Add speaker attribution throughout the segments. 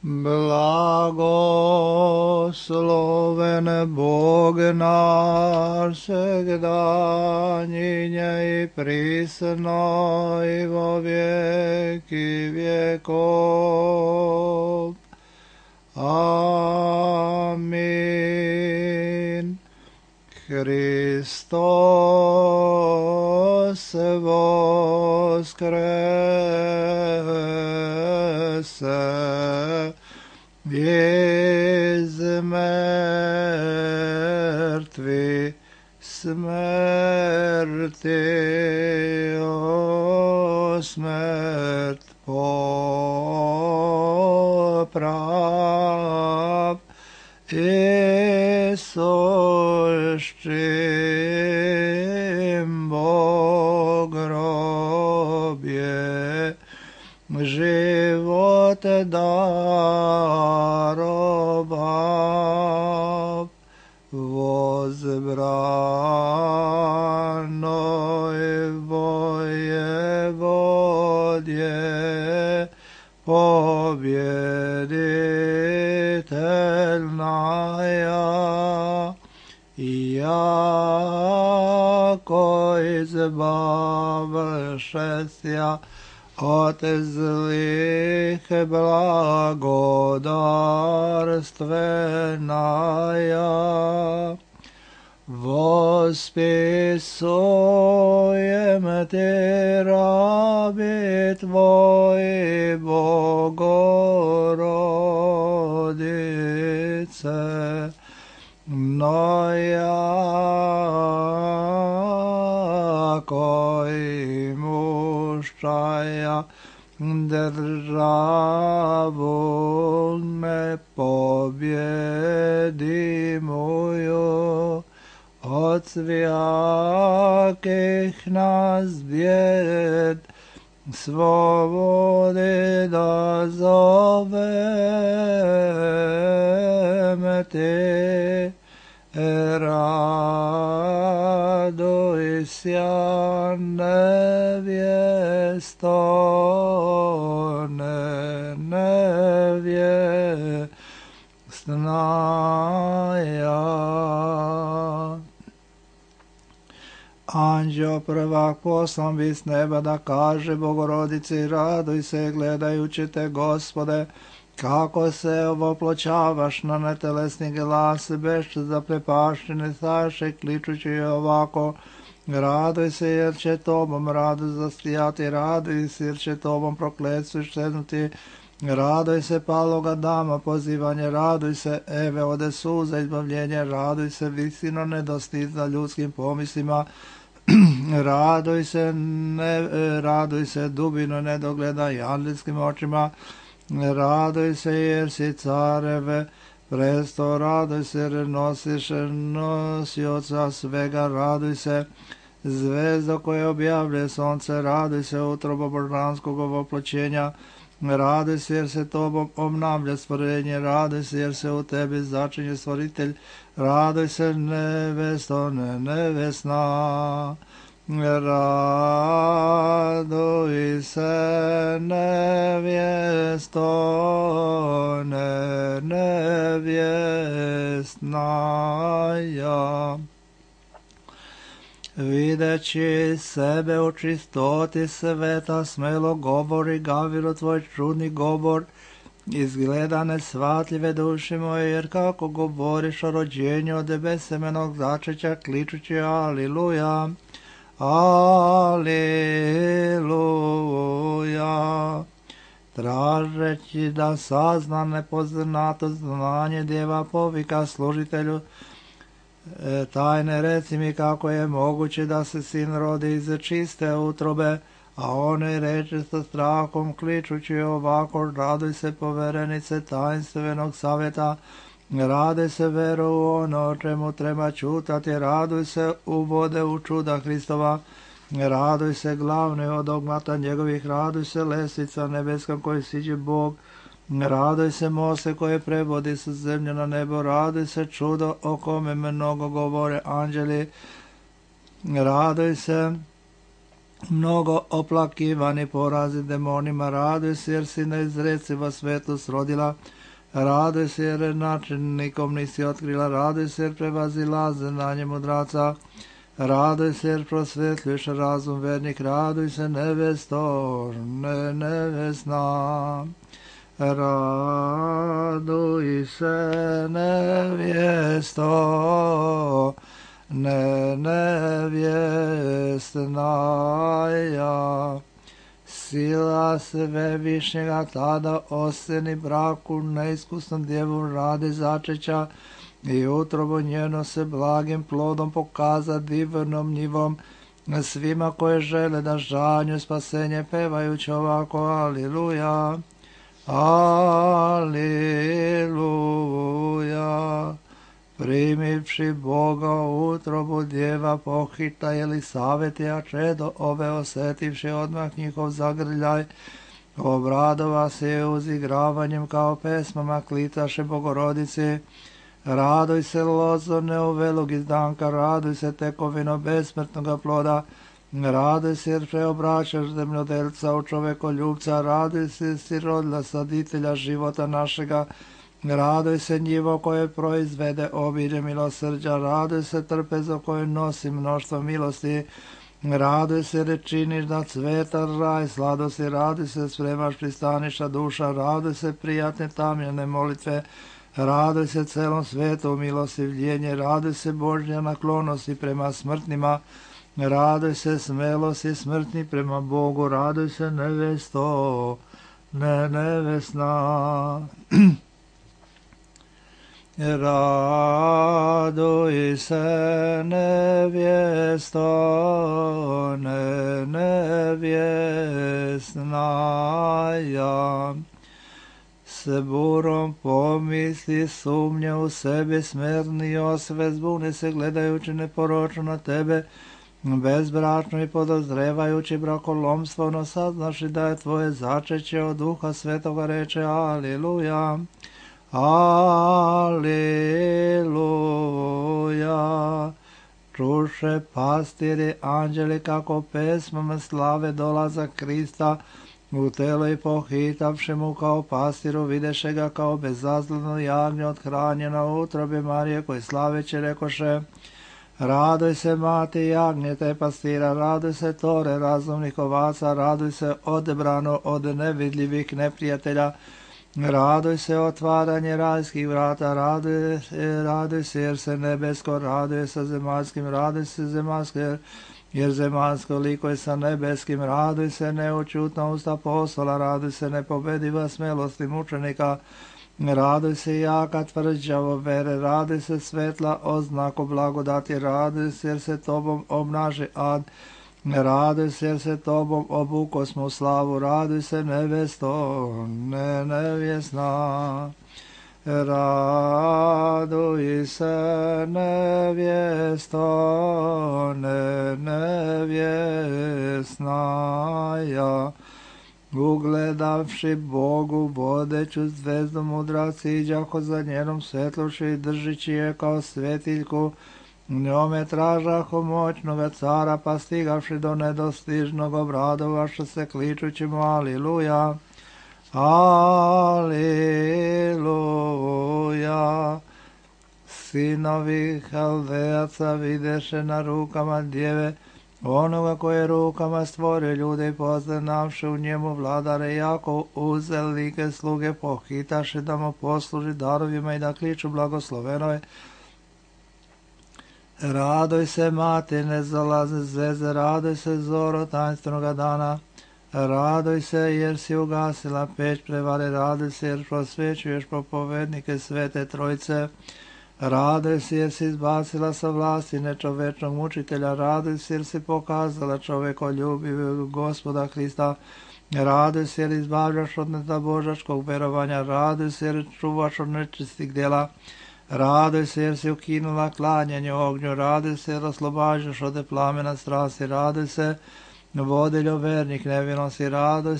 Speaker 1: Blagosloven Bog naš, всегда, ныне и присно, и во веки веков. Аминь. Христос воскресе из мертвых смерти, о смерть поправ, и сущим Бог гробе живот даровав, возбранной воеводе победительная, яко избавшися от злых благодарственная, восписуем Ты, раби Твои, Богородице, но яко имущая державу непобедимую, от всяких нас бед свободы дозовем Ты. Радуйся, невесто, невестная. Anđeo prvak poslan bi s neba da kaže Bogorodici, raduj se gledajući te, Gospode, kako se ovoploćavaš na netelesni glas, beš zaprepaštene saše, kličući ovako, raduj se jer će tobom radost zastijati, raduj se jer će tobom prokletstvo iščeznuti, raduj se paloga dama pozivanje, raduj se Eve ode suza izbavljenje, raduj se visino nedostižna ljudskim pomislima, raduj se dubino nedogledaj angelskim očima, raduj se jer si careve presto, raduj se jer nosiš nosioca svega, raduj se zvezdo koje objavlje sonce, raduj se utrobo božanskog ovoploćenja, raduj se jer se tobom obnavlja stvorenje, raduj se jer se u tebi začinje stvoritelj, raduj se nevesto, nevesna, raduj se nevjesto, nevjesnaja. Videći sebe u čistoti sveta, smelo govori Gavrilu tvoj čudni govor, izgleda nesvatljive duše moje, jer kako govoriš o rođenju od besemenog začeća, kličući aliluja, aliluja, tražeći da sazna nepoznato znanje djeva, povika služitelju tajne, reci mi kako je moguće da se sin rodi iz čiste utrobe, a one reče sa strahom kličući ovako, raduj se poverenice tajnstvenog savjeta, raduj se veru u ono čemu treba čutati, raduj se uvode u čuda Hristova, raduj se glavni od dogmata njegovih, raduj se lestvica nebeska koji siđe Bog, raduj se mose koje prevodi sa zemlje na nebo, raduj se čudo o kome mnogo govore anđeli, raduj se mnogo oplakivani porazi demonima, raduj se jer si neizreciva svetlost rodila, raduj se jer načinnikom nisi otkrila, raduj se jer prevazilaze na njemu mudraca, raduj se jer prosvetljuješ razum vernik, raduj se nevesto, nevesna. Raduj se nevjesto, nevjesnaja. Sila Svevišnjega tada oseni braku neiskusnom djevu radi začeća i utrobu njeno se blagim plodom pokaza divnom njivom svima koje žele da žanju spasenje pevajući ovako aliluja. Aliluja. Primivši Boga u utrobu djeva pohita Elisavetija čedo ove osetivši odmah njihov zagrljaj, obradova se uzigravanjem kao pesmama klitaše Bogorodici. Raduj se lozo neuvelog izdanka, raduj se tekovino besmrtnoga ploda, raduj se jer preobraćaš zemljodelca u čovekoljubca, raduj se sirodla saditelja života našega, raduj se njivo koje proizvede obilje milosrđa, raduj se trpezo koje nosi mnoštvo milosti, raduj se jer činiš da cveta raj sladosti, raduj se spremaš pristaniša duša, raduj se prijatne tamljene molitve, raduj se celom svetu milostivljenje, raduj se Božja naklonosti prema smrtnima, raduj se smelosti smrtni prema Bogu, raduj se nevesto, nevesna. Raduj se nevjesto, nevjesnaja. S burom pomisli sumnje u sebi smerni osve zbuni se gledajući neporočno na tebe, bezbračno i podozrevajući brakolomstvo, no saznaši da je tvoje začeće od Duha Svetoga, reče aliluja. Aliluja. Čuše pastiri anđeli kako pesmama slave dolazak Krista u telo i pohitavši mu kao pastiru videše ga kao bezazleno jagnje othranjeno u utrobi Marije koji slaveće rekoše: raduj se mati jagnje te pastira, raduj se tore razumnih ovaca, raduj se odebrano od nevidljivih neprijatelja, raduj se otvaranje rajskih vrata, raduj se jer se nebesko raduje sa zemaljskim, raduj se zemaljsko jer zemaljsko likuje sa nebeskim, raduj se neučutna usta apostola, raduj se nepobediva smelosti mučenika, raduj se jaka tvrđavo vere, raduj se svetla oznako blagodati, raduj se jer se tobom obnaži ad, raduj se jer se tobom obukosmo u slavu, raduj se nevesto, nevjesna. Raduj se nevjesto, nevjesnaja. Ugledavši Bogu vodeću zvezdu mudraci iđaho za njenom svetlošću i držići je kao svetiljku, njome tražaho moćnoga cara, pa stigavši do nedostižnog obradovaša se kličući mu aliluja. Aliluja. Sinovi Haldejaca videše na rukama djeve onoga koje rukama stvorio ljude i poznavši u njemu vladare jako uzelike sluge pohitaše da mu posluži darovima i da kliču blagoslovenoj. Raduj se mati nezalazne zveze, raduj se zoro tajnstvenog dana, raduj se jer si ugasila peć prevare, raduj se jer prosvećuješ propovednike svete trojice, raduj se jer si izbacila sa vlasti nečovečnog mučitelja, raduj se jer si pokazala čovekoljubivog Gospoda Hrista, raduj se jer izbavljaš od netabožačkog verovanja, raduj se jer čuvaš od nečistih djela, raduj se jer si ukinula klanjanje ognju, raduj se jer oslobađaš od plamena strasti, raduj se vodiljo vernik nevinosti, raduj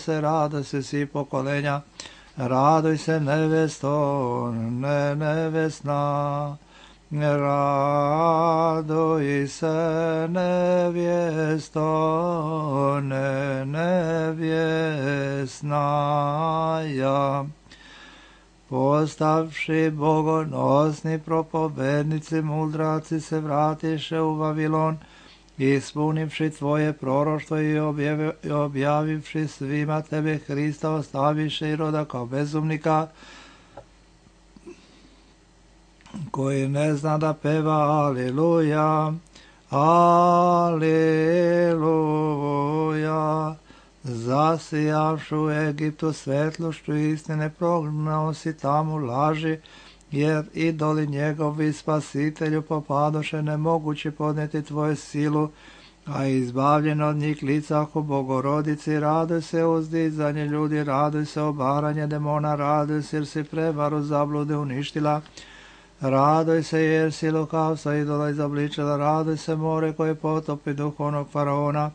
Speaker 1: se svi pokolenja, raduj se nevesto, nevesna. Raduj se nevjesto, nevjesnaja. Postavši bogonosni propovednici, mudraci se vratiše u Vavilon, ispunivši tvoje proroštvo i objavivši svima tebe Hrista, ostaviše Iroda kao bezumnika, koji ne zna da peva Aleluja, Aleluja. Zasijavši u Egiptu svetlošću istine, prognao si tamo laži, jer idoli njegovi spasitelju popadoše, nemogući podnijeti tvoju silu, a izbavljen od njih licahu Bogorodici. Raduj se uzdizanje ljudi, raduj se obaranje demona, raduj se jer si prevaru zablude uništila. Raduj se jer si lukavstva idola izobličila, raduj se more koje potopi duhovnog faraona.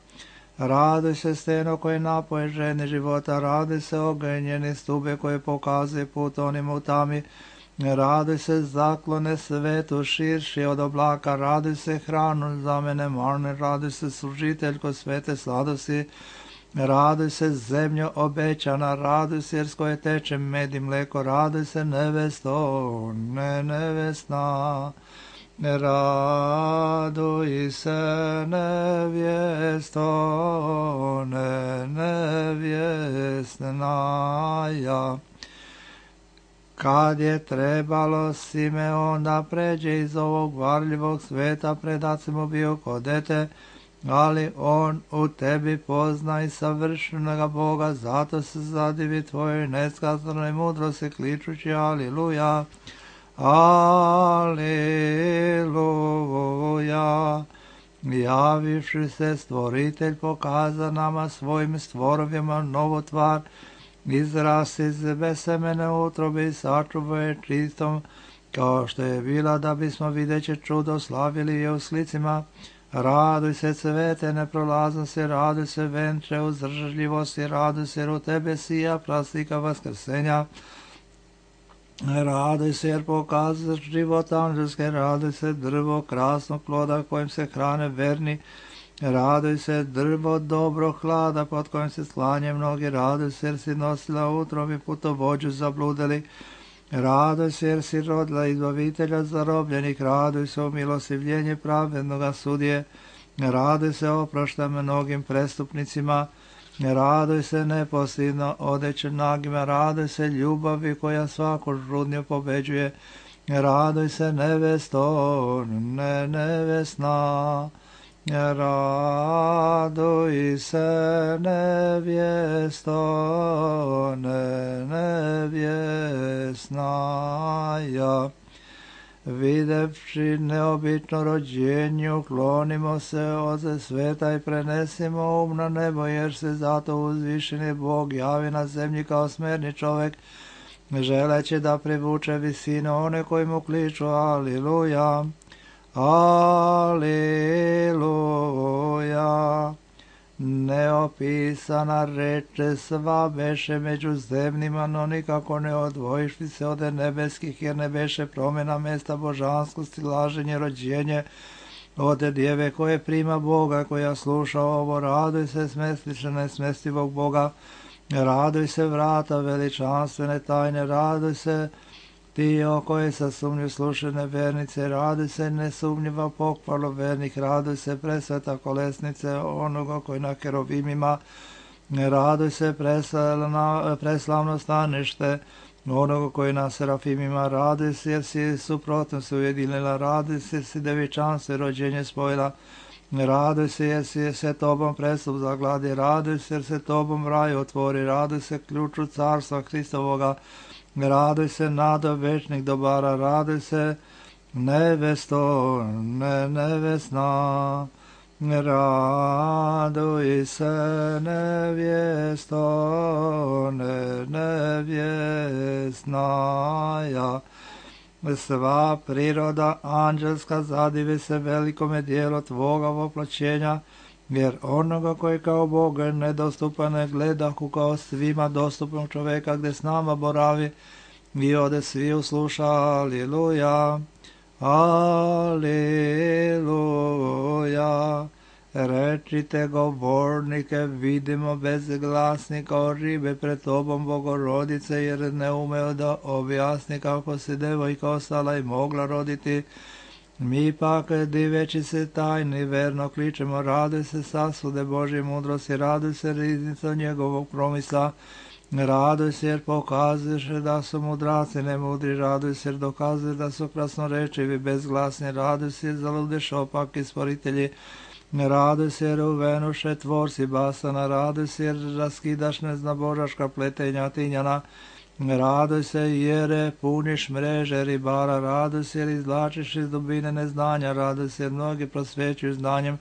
Speaker 1: Raduj se steno koje napoje žene života, raduj se ogenjene stube koje pokazuje put onim u tami. Raduj se zaklone svetu širši od oblaka, raduj se hranu za mene marne, raduj se služiteljko svete sladosti. Raduj se zemljo obećana, raduj se jer s koje teče med i mleko, raduj se nevesto, nevesna. Raduj se nevjesto, nevjesnaja. Kad je trebalo Simeon da pređe iz ovog varljivog sveta, predac mu bio ko dete, ali on u tebi pozna i savršenoga Boga, zato se zadivi tvojoj neskazanoj mudrosti, kličući Aleluja, Aleluja. Javivši se stvoritelj pokaza nama svojim stvorovima novu tvar, izrasti iz besemene utrobe i sačuva je čistom, kao što je bila, da bismo videće čudo slavili je u slicima. Raduj se cvete neprolaznosti, raduj se venče uzdržljivosti, raduj se jer u tebe sija plastika vaskrsenja. Raduj se jer pokazaš život anđelske, raduj se drvo krasnog ploda kojim se hrane verni, raduj se drvo dobro hlada pod kojim se slanje mnogi, raduj se jer si nosila utrobi putovođu zabludeli, raduj se jer si rodila izbavitelja zarobljenih, raduj se o milostivljenje pravednoga sudije, raduj se oprošta mnogim prestupnicima, raduj se neposljedno odeće nagima, raduj se ljubavi koja svaku žudnju pobeđuje, raduj se nevesto, nevesna. Raduj se nevjesto, nevjesnaja. Videvši neobično rođenje, uklonimo se od sveta i prenesimo um na nebo, jer se zato uzvišeni Bog javi na zemlji kao smerni čovjek, želeći da privuče visinu one koji mu kliču Aleluja, Aleluja. Neopisana reče sva beše među zemljima, no nikako ne odvojiš se od nebeskih, jer ne beše promjena mesta božanskosti, laženje, rođenje od djeve koje prima Boga, koja sluša ovo. Raduj se smestiše nesmestivog Boga, raduj se vrata veličanstvene tajne, raduj se ti o kojoj sa sumnju slušene vernice, raduj se nesumnjiva pohvalo vernih, raduj se presveta kolesnice onoga koji na kerubimima, raduj se preslavno stanište onoga koji na serafimima, raduj se jer si suprotno se ujedinila, raduj se jer si devičanstvo i rođenje spojila, raduj se jer si se tobom prestup zagladi, raduj se jer se tobom raj otvori, raduj se ključu carstva Hristovoga, raduj se nado večnih dobara, raduj se nevesto, nevesna, raduj se nevjesto, nevjesnaja. Sva priroda anđelska zadivi se velikome dijelu tvoga voplaćenja, jer onoga koji kao Bog nedostupan ne gledahu kao svima dostupnog čoveka, gdje s nama boravi i ode svi usluša Aleluja, Aleluja. Rečite govornike, vidimo bezglasni kao ribe pred tobom, Bogorodice, jer ne umeo da objasni kako se devojka ostala i mogla roditi. Mi pak, diveći se tajni, verno kličemo, raduj se sasude Božje mudrosti, raduj se riznico njegovog promisla, raduj se jer pokazuješ da su mudraci nemudri, raduj se jer dokazuješ da su krasnorečivi, bezglasni, raduj se jer zaludeš opaki stvoritelji, raduj se jer uvenuše tvorci basana, raduj se jer raskidaš neznabožaška pletenja tinjana, raduj se jer puniš mreže ribara, raduj se jer izvlačiš iz dubine neznanja, raduj se jer mnogi prosvećuju znanjem,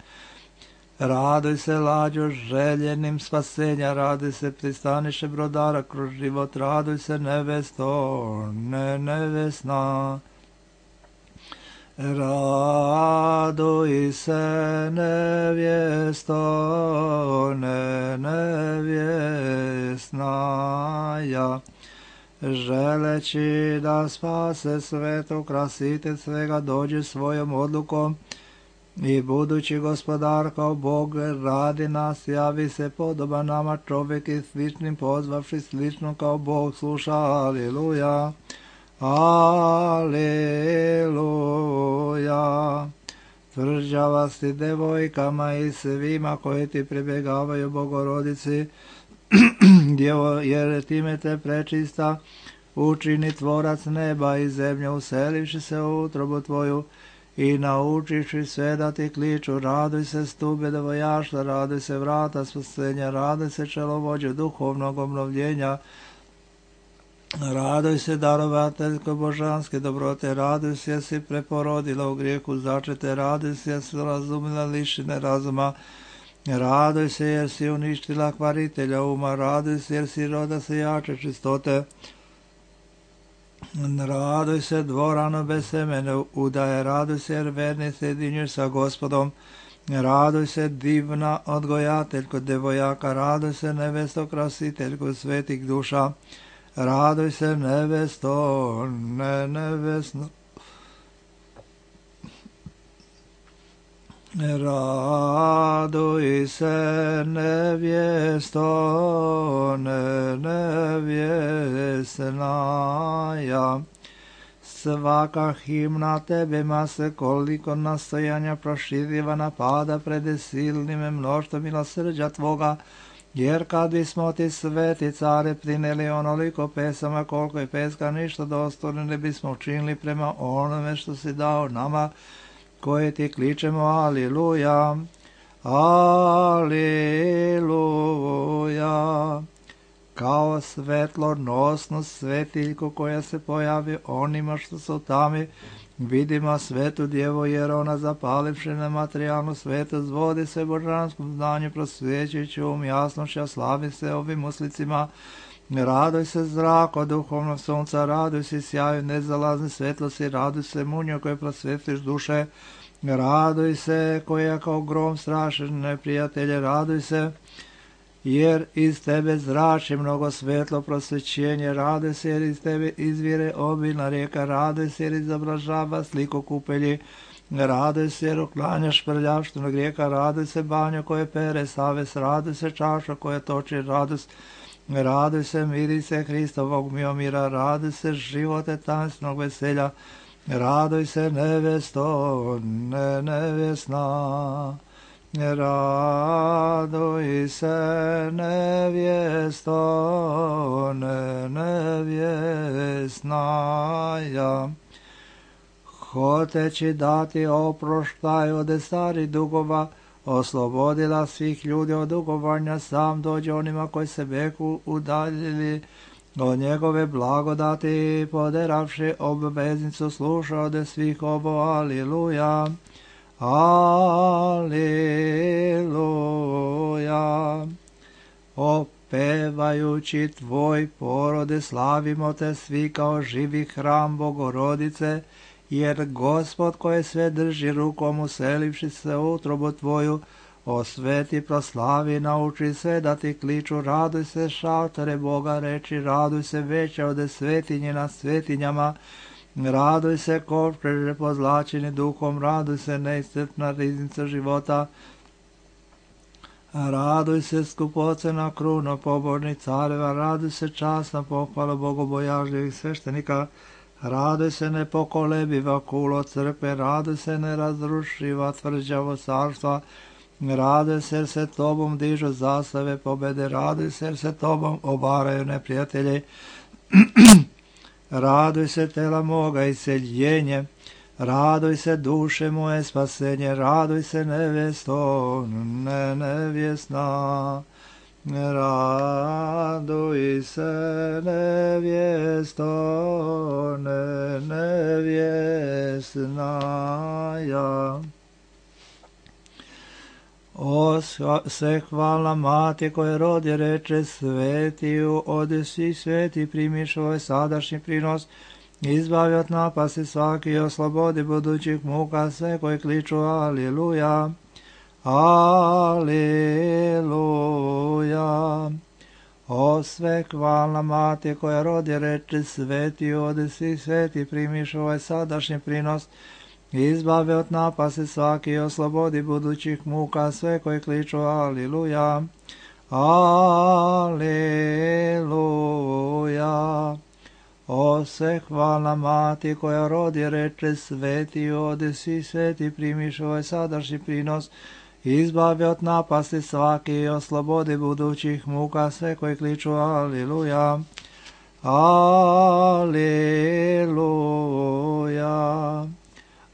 Speaker 1: raduj se lađo željenim spasenja, raduj se pristaniše brodara kroz život, raduj se nevesto, nevesna. Raduj se nevjesto, nevjesnaja, želeći da spase svetu, krasitelj svega dođe svojom odlukom i budući gospodar kao Bog radi nas, javi se podoban nama čovjek i sličnim pozvavši slično kao Bog sluša. Aleluja. Aleluja. Tvrđava si devojkama i svima koji ti pribjegavaju Bogorodici, jer time te prečista učini tvorac neba i zemlje, uselivši se u utrobu tvoju i naučiši sve da ti kliču. Raduj se stube devojaštva, raduj se vrata spasenja, raduj se čelovođe duhovnog obnovljenja, raduj se darovateljko božanske dobrote, raduj se jer si preporodila u grijehu začete, raduj se jer si razumila lišine razuma, raduj se jer si uništila kvaritelja uma, raduj se jer si roda se jače čistote, raduj se dvorano bez semene udaje, raduj se jer verni se jedinjuješ sa Gospodom, raduj se divna odgojateljko devojaka, raduj se nevesto krasiteljko svetih duša, raduj se nevesto, nevesno. Raduj se nevjesto, nevjesnaja. Svaka himna tebima se koliko nastojanja proširiva napada pred silnim mnoštvom milosrđa tvoga, jer kad bismo ti sveti care prineli onoliko pesama koliko je peska ništa dostojno ne bismo učinili prema onome što si dao nama koje ti kličemo. Aleluja, aleluja. Kao svetlonosnu svetiljku koja se pojavi onima što su tami, vidimo svetu djevo, jer ona zapalivši nematerijalnu svetost vodi se božanskom znanju, prosvjećujući jasnošća, slavi se ovim uslicima. Raduj se zrako duhovnog sunca, raduj se sjaju nezalazne svetlosti, raduj se munjo koje prosvjetiš duše, raduj se koja kao grom straši neprijatelje, raduj se jer iz tebe zrači mnogo svetlo prosvećenje, raduj se jer iz tebe izvire obilna rijeka, raduj se jer izobražava sliku kupelji, raduj se jer uklanjaš prljavštinu grijeha, raduj se banjo koje pere savest, raduj se čaša koja toči radost, raduj se mirise Hristovog miomira, raduj se živote tansnog veselja, raduj se nevesto, nevjesna. Raduj se nevjesto, nevjesnaja. Hoteći dati oproštaj od starih dugova, oslobodila svih ljudi od dugovanja, sam dođe onima koji se beku udaljili od njegove blagodati, poderavši obveznicu sluša od svih ovo. Aleluja. Aleluja. Opevajući tvoj porode, slavimo te svi kao živi hram Bogorodice, jer Gospod koje sve drži rukom, uselivši se u utrobu tvoju, osveti, proslavi, nauči sve da ti kliču. Raduj se šaltore Boga reči, raduj se veća od svetinje nad svetinjama, Raduj se kovčeže pozlačeni duhom, raduj se neiscrpna riznica života. Raduj se skupocena kruna pobožnih careva, raduj se časna pohvala bogobojažljivih sveštenika, raduj se nepokolebiva kulo crkve, raduj se nerazrušiva tvrđavo carstva, raduj se jer se tobom dižu zastave pobede, raduj se jer se tobom obaraju neprijatelji, raduj se tela moga iseljenje, raduj se duše moje spasenje, raduj se nevjesto, nevjesna, raduj se nevjesto, nevjesna ja. O sve hvala mati koje rodi reče svetiju, ode svi sveti primiš ovaj sadašnji prinos, izbavi od napasti svaki i oslobodi budućih muka sve koji kliču Aliluja, Aliluja. O sve hvalna mati koja rodi reče sveti, ode svi sveti primiš ovaj sadašnji prinos, izbavi od napasti svaki i oslobodi budućih muka sve koji kliču Aliluja, Aliluja. O sve hvalna mati koja rodi reče sveti, ode svi sveti primiš ovaj sadašnji prinos, izbavi od napasti svaki i oslobodi budućih muka sve koji kliču Aliluja, Aliluja.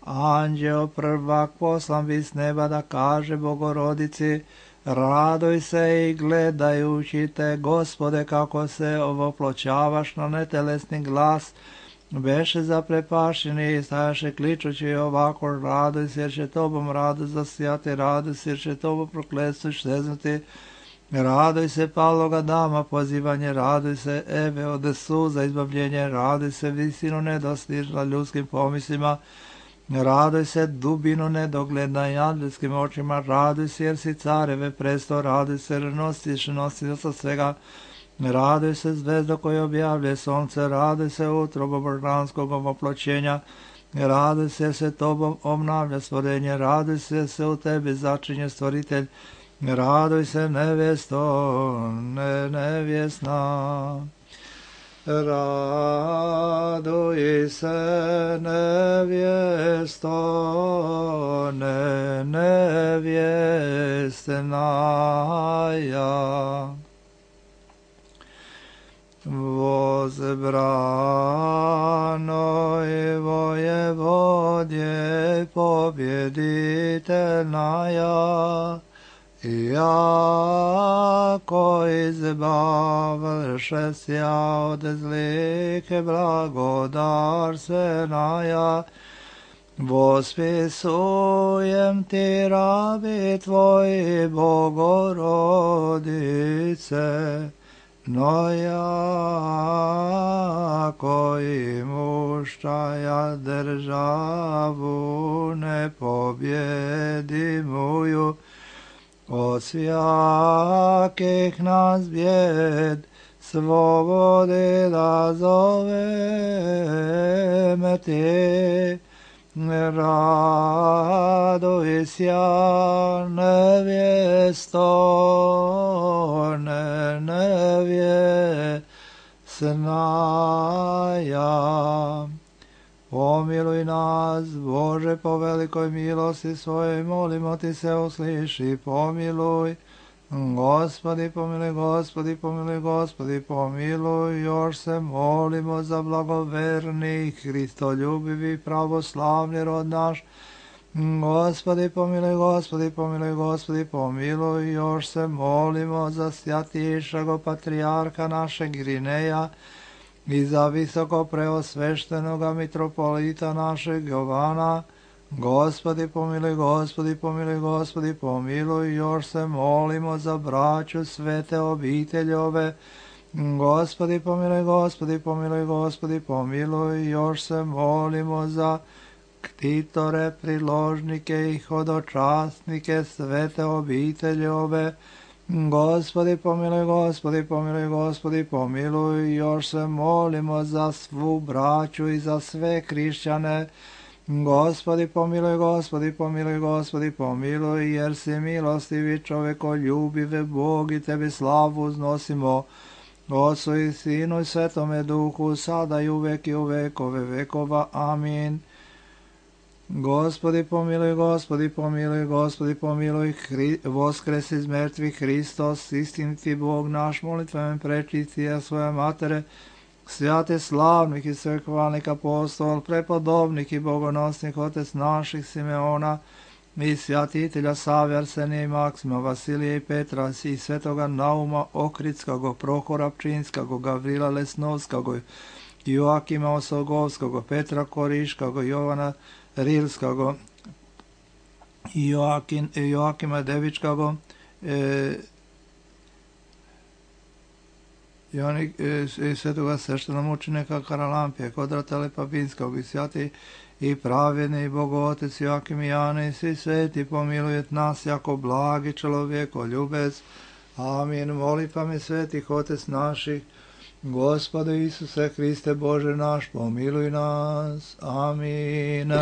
Speaker 1: Anđeo prvak poslan bi s neba da kaže Bogorodici, raduj se i gledajući te, Gospode, kako se ovoploćavaš na netelesni glas, beše zaprepašeni i stajaše kličući ovako, raduj se jer će tobom radost zasijati, raduj se jer će tobom prokletstvo šteznuti, raduj se paloga dama pozivanje, raduj se Eve ode suza izbavljenje, raduj se visinu nedostižna ljudskim pomislima, raduj se dubinu nedogledna i anđelskim očima, raduj se jer si careve presto, raduj se jer nosiš nosioca svega, raduj se zvezdo koje objavlje sonce, raduj se utrobo božanskog ovoploćenja, raduj se jer se tobom obnavlja stvorenje, raduj se jer se u tebi začinje stvoritelj, raduj se nevjesto, nevjesna. Raduj se nevjesto, nevjesna ja. Возбранoj vojevodje pobjeditelna ja, jako izbavlše sja od zlike blagodarstvena ja, vospisujem ti rabi tvoji Bogorodice, no jako i muštaja državu nepobjedimuju, od svjakih nas bjed svobodi da zoveme ti, raduj sja nevjesto, nevjesna ja. Pomiluj nas, Bože, po velikoj milosti svojoj, molimo ti se, usliši, pomiluj. Gospodi, pomiluj, Gospodi, pomiluj, Gospodi, pomiluj. Još se molimo za blagoverni, hristoljubivi, pravoslavni rod naš. Gospodi, pomiluj, Gospodi, pomiluj, Gospodi, pomiluj. Još se molimo za svjatišago patrijarha našeg Irineja, i za visoko preosveštenoga mitropolita našeg Jovana. Gospodi pomiluj, Gospodi pomiluj, Gospodi pomiluj. Još se molimo za braću svete obiteljove. Gospodi pomiluj, Gospodi pomiluj, Gospodi pomiluj. Još se molimo za ktitore, priložnike i hodočasnike svete obiteljove. Gospodi pomiluj, Gospodi pomiluj, Gospodi pomiluj, još se molimo za svu braću i za sve hrišćane. Gospodi pomiluj, Gospodi pomiluj, Gospodi pomiluj, jer si milostivi čovekoljubive Bog i tebi slavu uznosimo. Otcu i Sinu i Svetome Duhu, sada i uvek i u vekove vekova. Amin. Gospodi pomiluj, Gospodi pomiluj, Gospodi pomiluj, voskres iz mrtvih Hristos, istiniti Bog naš, molitvemen prečistija svoje matere, svjate slavnih i svehvalnih apostol, prepodobnih i bogonosnih otec naših Simeona, i svjatitelja Save, Arsenija i Maksima, Vasilija i Petra, i svetoga Nauma Ohridskog, Prohora Pčinskog, Gavrila Lesnovskog, Joakima Osogovskog, Petra Koriškog, Jovana Rilskog, Joakima Devičkog, svetoga sveštenomučenika Karalampije, Kodrata Lepapinskog, i svjati i pravedni Bogotec Joakim i Jane, i svi sveti pomilujet nas jako blagi čovjeko ljubec. Amin. Molitvami svetih Otec naših, Gospode Isuse Hriste Bože naš, pomiluj nas. Amin.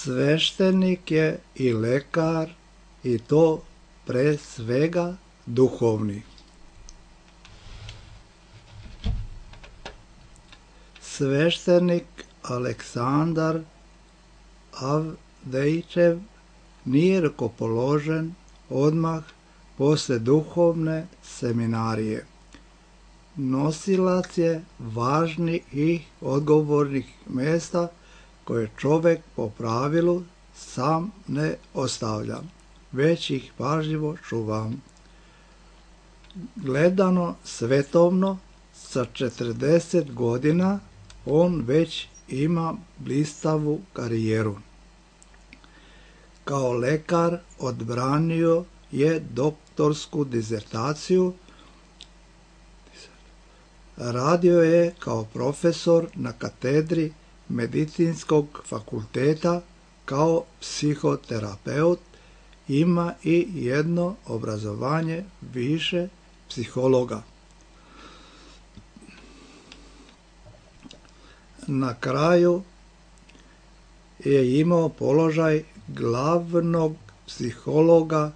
Speaker 1: Sveštenik je i lekar, i to pre svega duhovni. Sveštenik Aleksandar Avdejčev nije rukopoložen odmah posle duhovne seminarije. Nosilac je važnih i odgovornih mesta koje čovek po pravilu sam ne ostavlja, već ih pažljivo čuva. Gledano svetovno, sa 40 godina on već ima blistavu karijeru. Kao lekar odbranio je doktorsku dizertaciju, radio je kao profesor na katedri Medicinskog fakulteta, kao psihoterapeut, ima i jedno obrazovanje više psihologa. Na kraju je imao položaj glavnog psihologa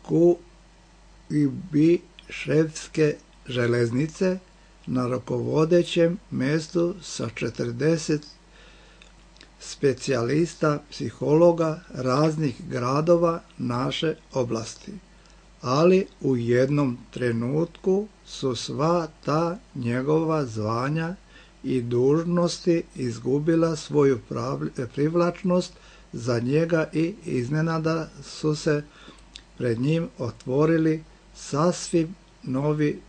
Speaker 1: Kuibyševske železnice na rukovodećem mestu sa 40 specijalista psihologa raznih gradova naše oblasti. Ali u jednom trenutku su sva ta njegova zvanja i dužnosti izgubila svoju privlačnost za njega i iznenada su se pred njim otvorili sasvim novi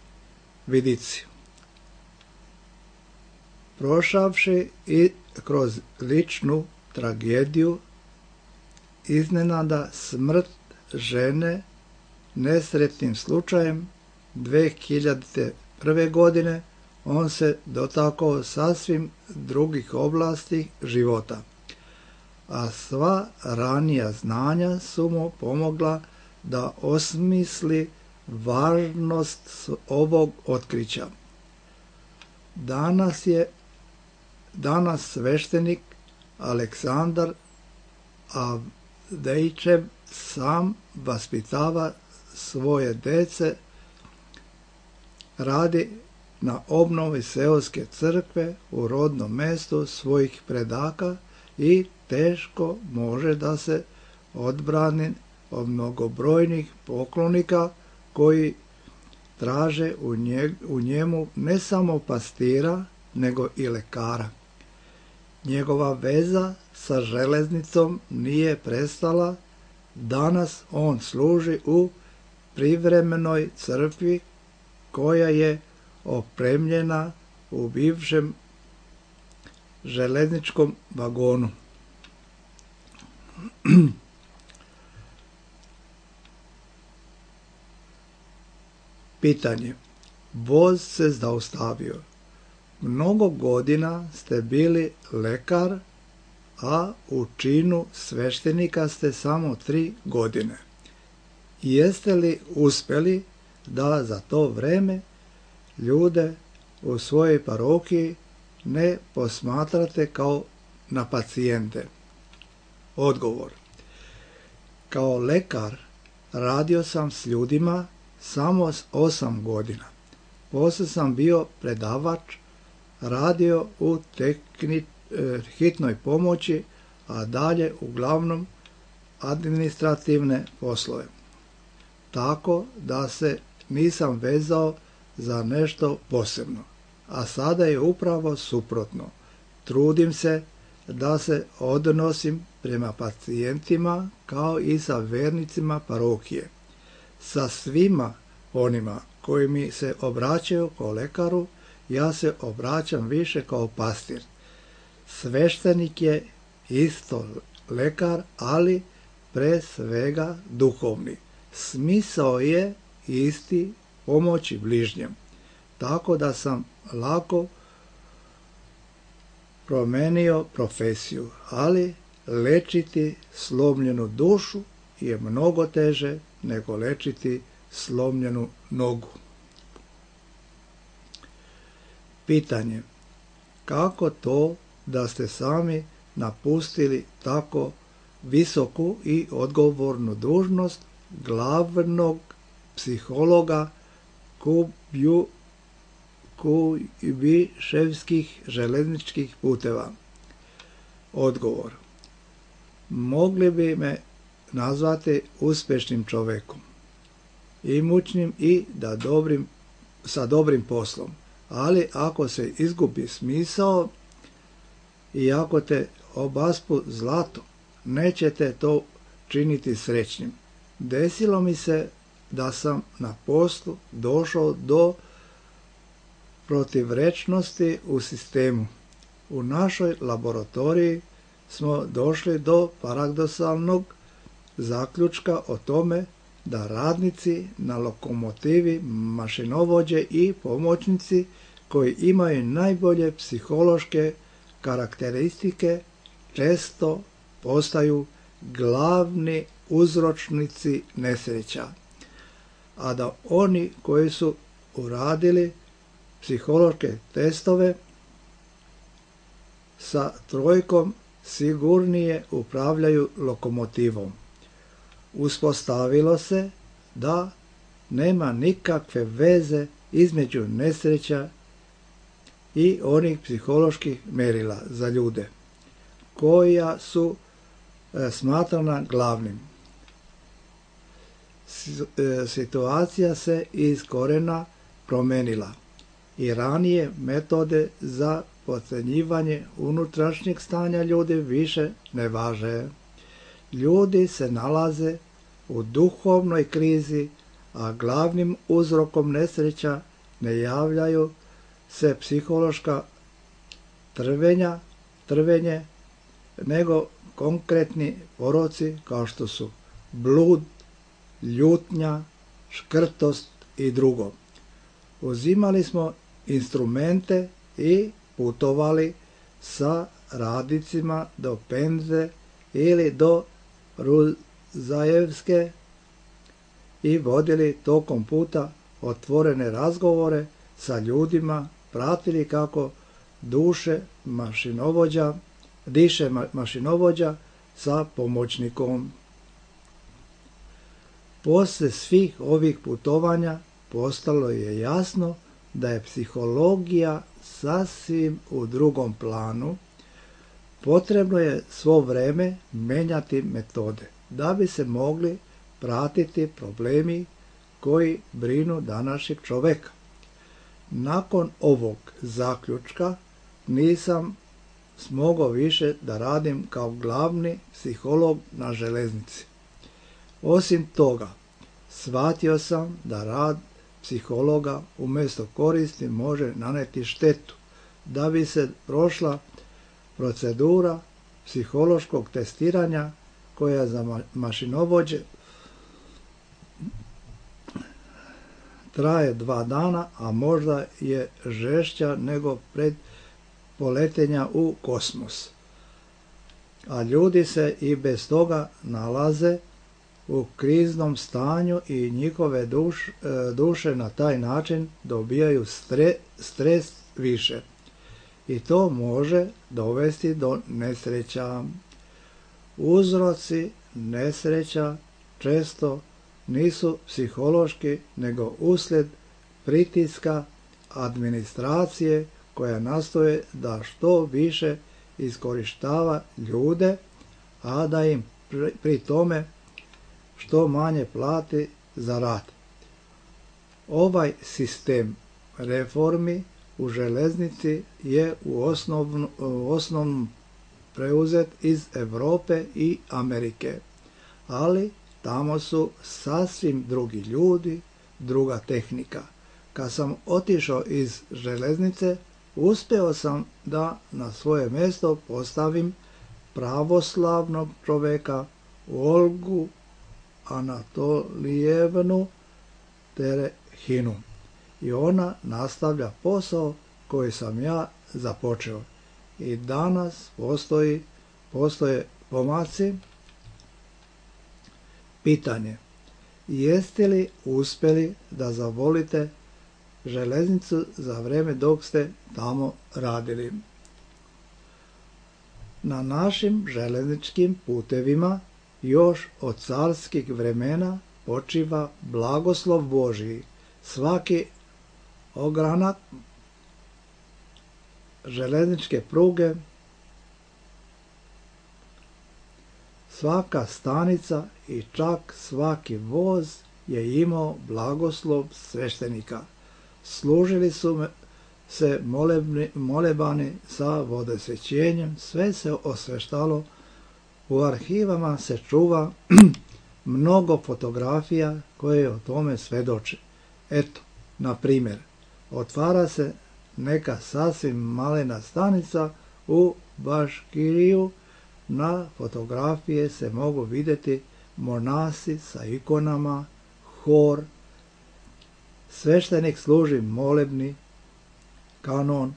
Speaker 1: vidici. Prošavši i kroz ličnu tragediju, iznenada smrt žene nesretnim slučajem 2001. godine, on se dotakao sasvim drugih oblasti života, a sva ranija znanja su mu pomogla da osmisli važnost ovog otkrića. Danas sveštenik Aleksandar Avdejčev sam vaspitava svoje dece, radi na obnovi seoske crkve u rodnom mestu svojih predaka i teško može da se odbrani od mnogobrojnih poklonika koji traže u njemu ne samo pastira, nego i lekara. Njegova veza sa železnicom nije prestala. Danas on služi u privremenoj crkvi koja je opremljena u bivšem železničkom vagonu. Pitanje. Voz se zaustavio. Mnogo godina ste bili lekar, a u činu sveštenika ste samo 3 godine. Jeste li uspeli da za to vreme ljude u svojoj parohiji ne posmatrate kao na pacijente? Odgovor. Kao lekar radio sam s ljudima samo 8 godina. Posle sam bio predavač, radio u hitnoj pomoći, a dalje uglavnom administrativne poslove. Tako da se nisam vezao za nešto posebno. A sada je upravo suprotno. Trudim se da se odnosim prema pacijentima kao i sa vernicima parohije. Sa svima onima koji mi se obraćaju kao lekaru, ja se obraćam više kao pastir. Sveštenik je isto lekar, ali pre svega duhovni. Smisao je isti, pomoći bližnjem. Tako da sam lako promenio profesiju, ali lečiti slomljenu dušu je mnogo teže nego lečiti slomljenu nogu. Pitanje. Kako to da ste sami napustili tako visoku i odgovornu dužnost glavnog psihologa Kubiševskih željezničkih puteva? Odgovor. Mogli bi me nazvati uspješnim čovjekom, imućnim i sa dobrim poslom, ali ako se izgubi smisao i ako te obaspu zlato, nećete to činiti srećnim. Desilo mi se da sam na poslu došao do protivrečnosti u sistemu. U našoj laboratoriji smo došli do paradoksalnog zaključka o tome da radnici na lokomotivi, mašinovođe i pomoćnici koji imaju najbolje psihološke karakteristike često postaju glavni uzročnici nesreća, a da oni koji su uradili psihološke testove sa trojkom sigurnije upravljaju lokomotivom. Uspostavilo se da nema nikakve veze između nesreća i onih psiholoških mjerila za ljude koja su smatrana glavnim. Situacija se iz korijena promijenila i ranije metode za procjenjivanje unutrašnjeg stanja ljudi više ne važe. Ljudi se nalaze u duhovnoj krizi, a glavnim uzrokom nesreća ne javljaju se psihološka trvenje, nego konkretni poroci kao što su blud, ljutnja, škrtost i drugo. Uzimali smo instrumente i putovali sa radnicima do Penze ili do Ruzajevske i vodili tokom puta otvorene razgovore sa ljudima, pratili kako diše mašinovođa sa pomoćnikom. Poslije svih ovih putovanja postalo je jasno da je psihologija sasvim u drugom planu. Potrebno je svo vrijeme menjati metode da bi se mogli pratiti problemi koji brinu današnjeg čovjeka. Nakon ovog zaključka nisam smogao više da radim kao glavni psiholog na željeznici. Osim toga, shvatio sam da rad psihologa umjesto koristi može naneti štetu. Da bi se prošla procedura psihološkog testiranja koja za mašinovođe traje 2 dana, a možda je žešća nego pred poletenja u kosmos. A ljudi se i bez toga nalaze u kriznom stanju i njihove duše na taj način dobijaju stres više. I to može dovesti do nesreća. Uzroci nesreća često nisu psihološki, nego uslijed pritiska administracije koja nastoje da što više iskorištava ljude, a da im pri tome što manje plati za rad. Ovaj sistem reformi u željeznici je u osnovnom preuzet iz Europe i Amerike, ali tamo su sasvim drugi ljudi, druga tehnika. Kad sam otišao iz željeznice, uspio sam da na svoje mjesto postavim pravoslavnog čovjeka Olgu Anatolijevnu Terehinu i ona nastavlja posao koji sam ja započeo. I danas postoje pomaci. Pitanje: jeste li uspjeli da zavolite željeznicu za vrijeme dok ste tamo radili? Na našim željezničkim putevima još od carskih vremena počiva blagoslov Božji. Svaki ogranak željezničke pruge, svaka stanica i čak svaki voz je imao blagoslov sveštenika. Služili su se molebani sa vodosvećenjem, sve se osveštalo, u arhivama se čuva mnogo fotografija koje o tome svedoče. Eto, na primjer, otvara se neka sasvim malena stanica u Baškiriju, na fotografije se mogu vidjeti monasi sa ikonama, hor, sveštenik služi molebni, kanon,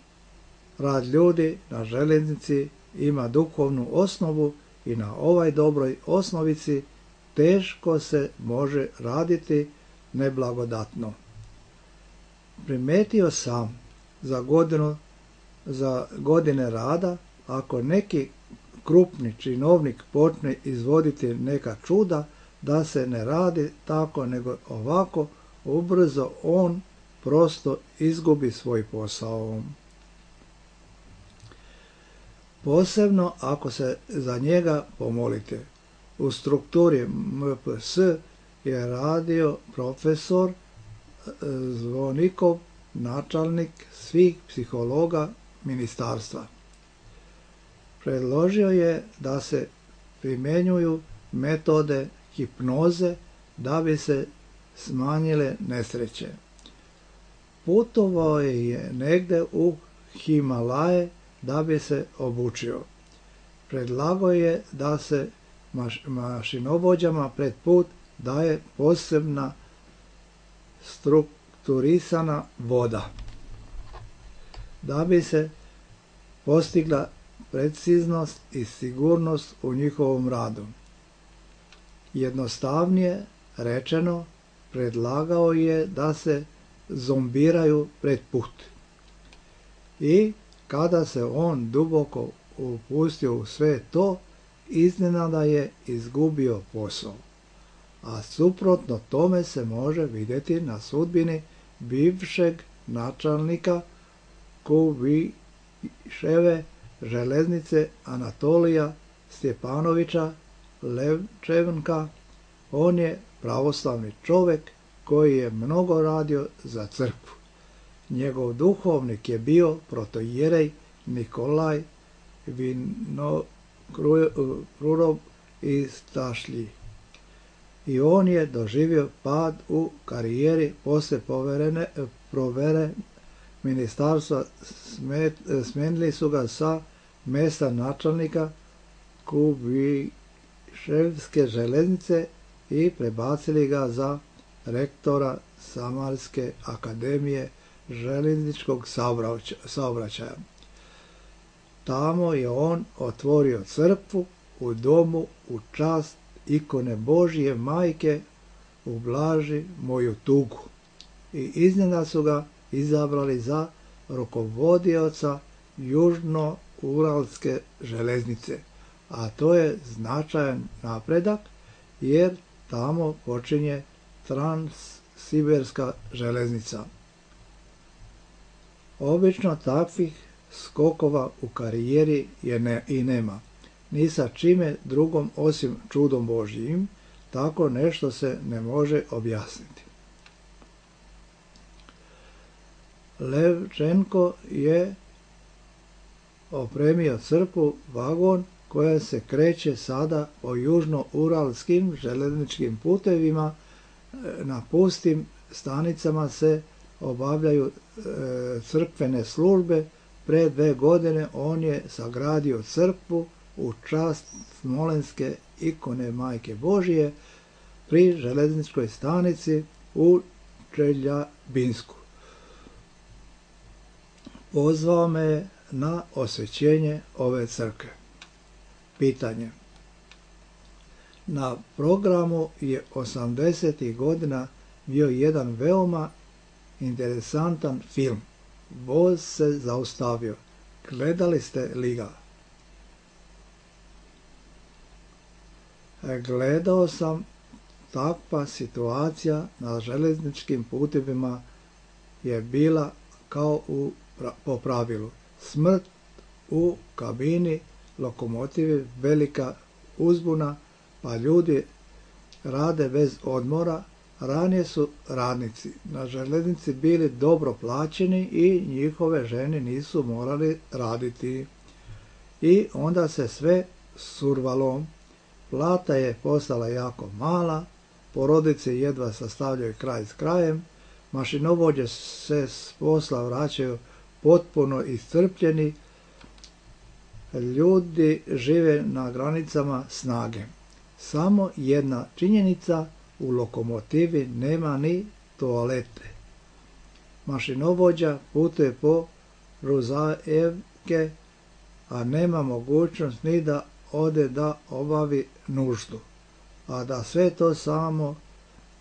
Speaker 1: rad ljudi na željeznici ima duhovnu osnovu i na ovoj dobroj osnovici teško se može raditi neblagodatno. Primetio sam za godine rada, ako neki krupni činovnik počne izvoditi neka čuda, da se ne radi tako nego ovako, ubrzo on prosto izgubi svoj posao. Posebno ako se za njega pomolite. U strukturi MPS je radio profesor Zvonikov, načelnik svih psihologa ministarstva. Predložio je da se primjenjuju metode hipnoze da bi se smanjile nesreće. Putovao je negde u Himalaje da bi se obučio. Predlagao je da se mašinovođama pred put daje posebna strukturisana voda, da bi se postigla preciznost i sigurnost u njihovom radu. Jednostavnije rečeno, predlagao je da se zombiraju pred put. I kada se on duboko upustio u sve to, iznenada je izgubio posao. A suprotno tome se može vidjeti na sudbini bivšeg načelnika Kubiševe železnice Anatolija Stjepanovića Levčenka. On je pravoslavni čovjek koji je mnogo radio za crkvu. Njegov duhovnik je bio protoijerej Nikolaj Vinokurov iz Tašlji. I on je doživio pad u karijeri poslije provere ministarstva. Smenili su ga sa mjesta načelnika Kubiševske železnice i prebacili ga za rektora Samarske akademije željezničkog saobraćaja. Tamo je on otvorio crkvu u domu u čast ikone Božje majke ublaži moju tugu. I iznenada su ga izabrali za rukovodioca Južno-Uralske železnice, a to je značajan napredak jer tamo počinje Transsiberska železnica. Obično takvih skokova u karijeri i nema, ni sa čime drugom osim čudom Božjim, tako nešto se ne može objasniti. Levčenko je opremio crkvu vagon koja se kreće sada po južno-uralskim željezničkim putevima. Na pustim stanicama se obavljaju crkvene službe. Pre 2 godine on je sagradio crkvu u čast Smolenske ikone Majke Božije pri željezničkoj stanici u Čeljabinsku. Pozvao me je na osvećenje ove crkve. Pitanje. Na programu je 80. godina bio jedan veoma interesantan film. Voz se zaustavio. Gledali ste li ga? Gledao sam, takva situacija na željezničkim putevima je bila kao po pravilu. Smrt u kabini lokomotive, velika uzbuna, pa ljudi rade bez odmora. Ranije su radnici na željeznici bili dobro plaćeni i njihove žene nisu morali raditi. I onda se sve survalo. Plata je postala jako mala, porodice jedva sastavljaju kraj s krajem, mašinovođe se s posla vraćaju potpuno iscrpljeni, ljudi žive na granicama snage. Samo jedna činjenica, u lokomotivi nema ni toalete. Mašinovođa putuje po Ruzajevke, a nema mogućnost ni da ode da obavi nuždu, a da sve to samo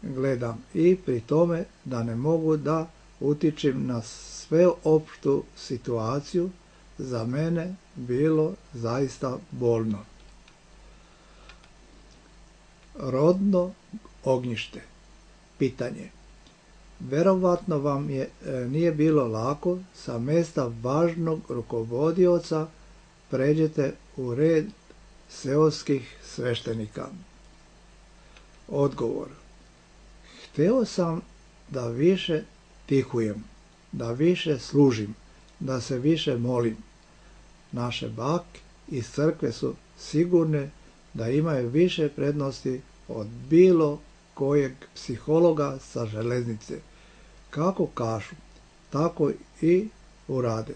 Speaker 1: gledam i pri tome da ne mogu da utičem na sveopštu situaciju, za mene bilo zaista bolno. Rodno ognjište. Pitanje. Verovatno vam nije bilo lako sa mjesta važnog rukovodioca pređete u red seoskih sveštenika. Odgovor. Hteo sam da više tihujem, da više služim, da se više molim. Naše bake iz crkve su sigurne da imaju više prednosti od bilo kojeg psihologa sa železnice. Kako kažu, tako i urade.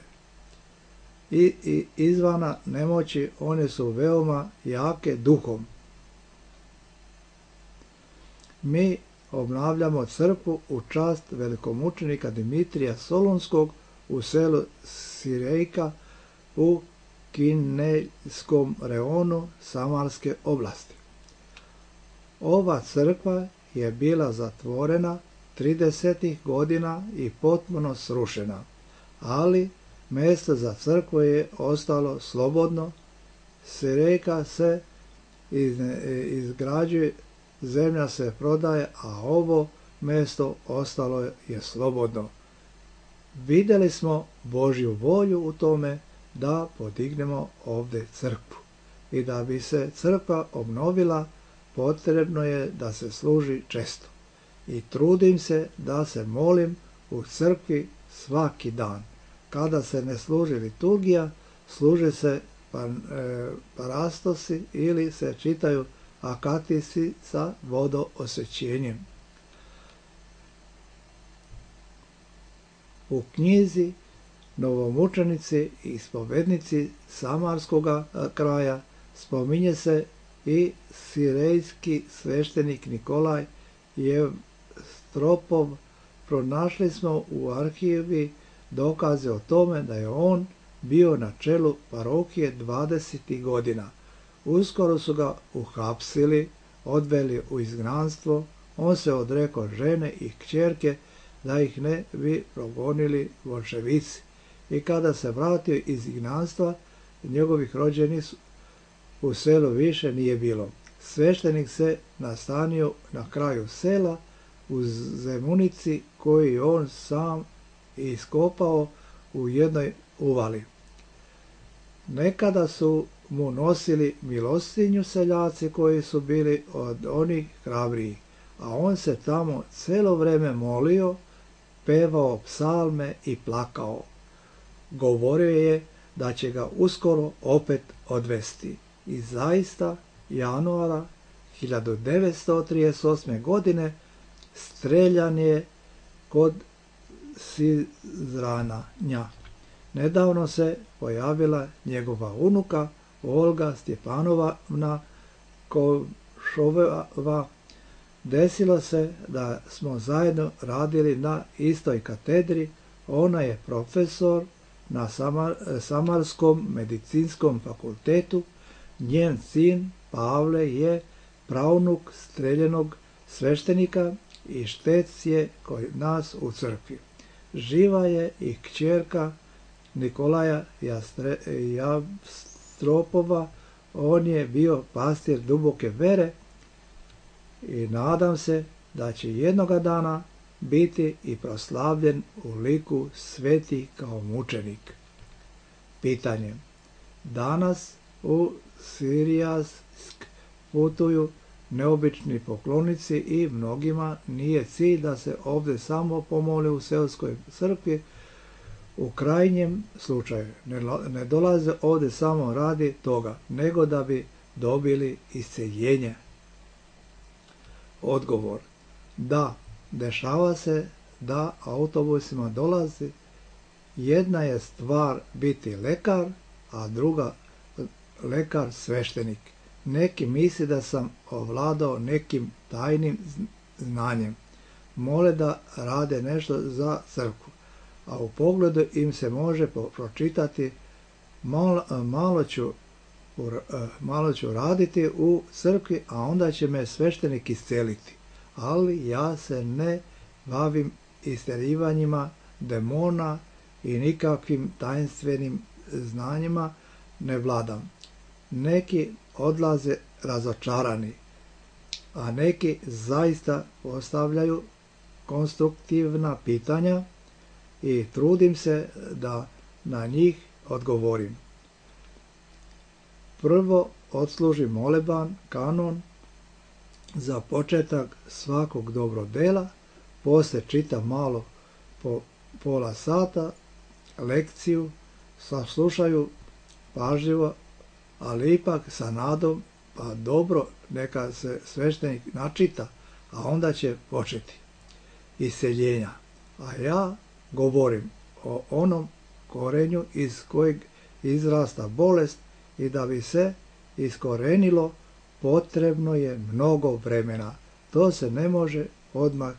Speaker 1: I izvana nemoći one su veoma jake duhom. Mi obnavljamo crkvu u čast velikomučenika Dimitrija Solunskog u selu Sirejka u Kinejskom reonu Samarske oblasti. Ova crkva je bila zatvorena 30. godina i potpuno srušena, ali mjesto za crkvu je ostalo slobodno, Sirejka se izgrađuje, zemlja se prodaje, a ovo mjesto ostalo je slobodno. Vidjeli smo Božju volju u tome da podignemo ovdje crkvu. I da bi se crkva obnovila, potrebno je da se služi često. I trudim se da se molim u crkvi svaki dan. Kada se ne služi liturgija, služe se parastosi ili se čitaju akatisi sa vodoosvećenjem. U knjizi Novomučenici i spovednici Samarskoga kraja spominje se i sirejski sveštenik Nikolaj Jevstropov. Pronašli smo u arhivi dokaze o tome da je on bio na čelu parohije 20. godina. Uskoro su ga uhapsili, odveli u izgnanstvo, on se odrekao žene i kćerke da ih ne bi progonili boljševici. I kada se vratio iz izgnanstva, njegovih rođenih u selu više nije bilo. Sveštenik se nastanio na kraju sela u zemunici koju on sam iskopao u jednoj uvali. Nekada su mu nosili milostinju seljaci koji su bili od onih hrabriji, a on se tamo celo vreme molio, pevao psalme i plakao. Govorio je da će ga uskoro opet odvesti. I zaista, januara 1938. godine streljan je kod Sizranja. Nedavno se pojavila njegova unuka Olga Stjepanovna Košova. Desilo se da smo zajedno radili na istoj katedri. Ona je profesor na Samarskom medicinskom fakultetu. Njen sin Pavle je praunuk streljenog sveštenika i štec je kod nas u crkvi. Živa je i kćerka Nikolaja Javstropova, On je bio pastir duboke vere i nadam se da će jednoga dana biti i proslavljen u liku sveti kao mučenik. Pitanje. Danas u Sirijask putuju neobični poklonici i mnogima nije cilj da se ovdje samo pomole u seoskoj crkvi. U krajnjem slučaju ne dolaze ovdje samo radi toga, nego da bi dobili isceljenje. Odgovor. Da, dešava se da autobusima dolazi. Jedna je stvar biti lekar, a druga lekar sveštenik. Neki misli da sam ovladao nekim tajnim znanjem. Mole da rade nešto za crkvu, a u pogledu im se može pročitati malo ću raditi u crkvi, a onda će me sveštenik isceliti. Ali ja se ne bavim istjerivanjima demona i nikakvim tajnstvenim znanjima ne vladam. Neki odlaze razočarani, a neki zaista postavljaju konstruktivna pitanja i trudim se da na njih odgovorim. Prvo odslužim moleban, kanon, za početak svakog dobrog dela, poslije čitam malo po pola sata, lekciju, saslušaju pažljivo, ali ipak sa nadom, pa dobro, neka se sveštenik načita, a onda će početi isceljenja. A ja govorim o onom korenju iz kojeg izrasta bolest i da bi se iskorenilo potrebno je mnogo vremena. To se ne može odmah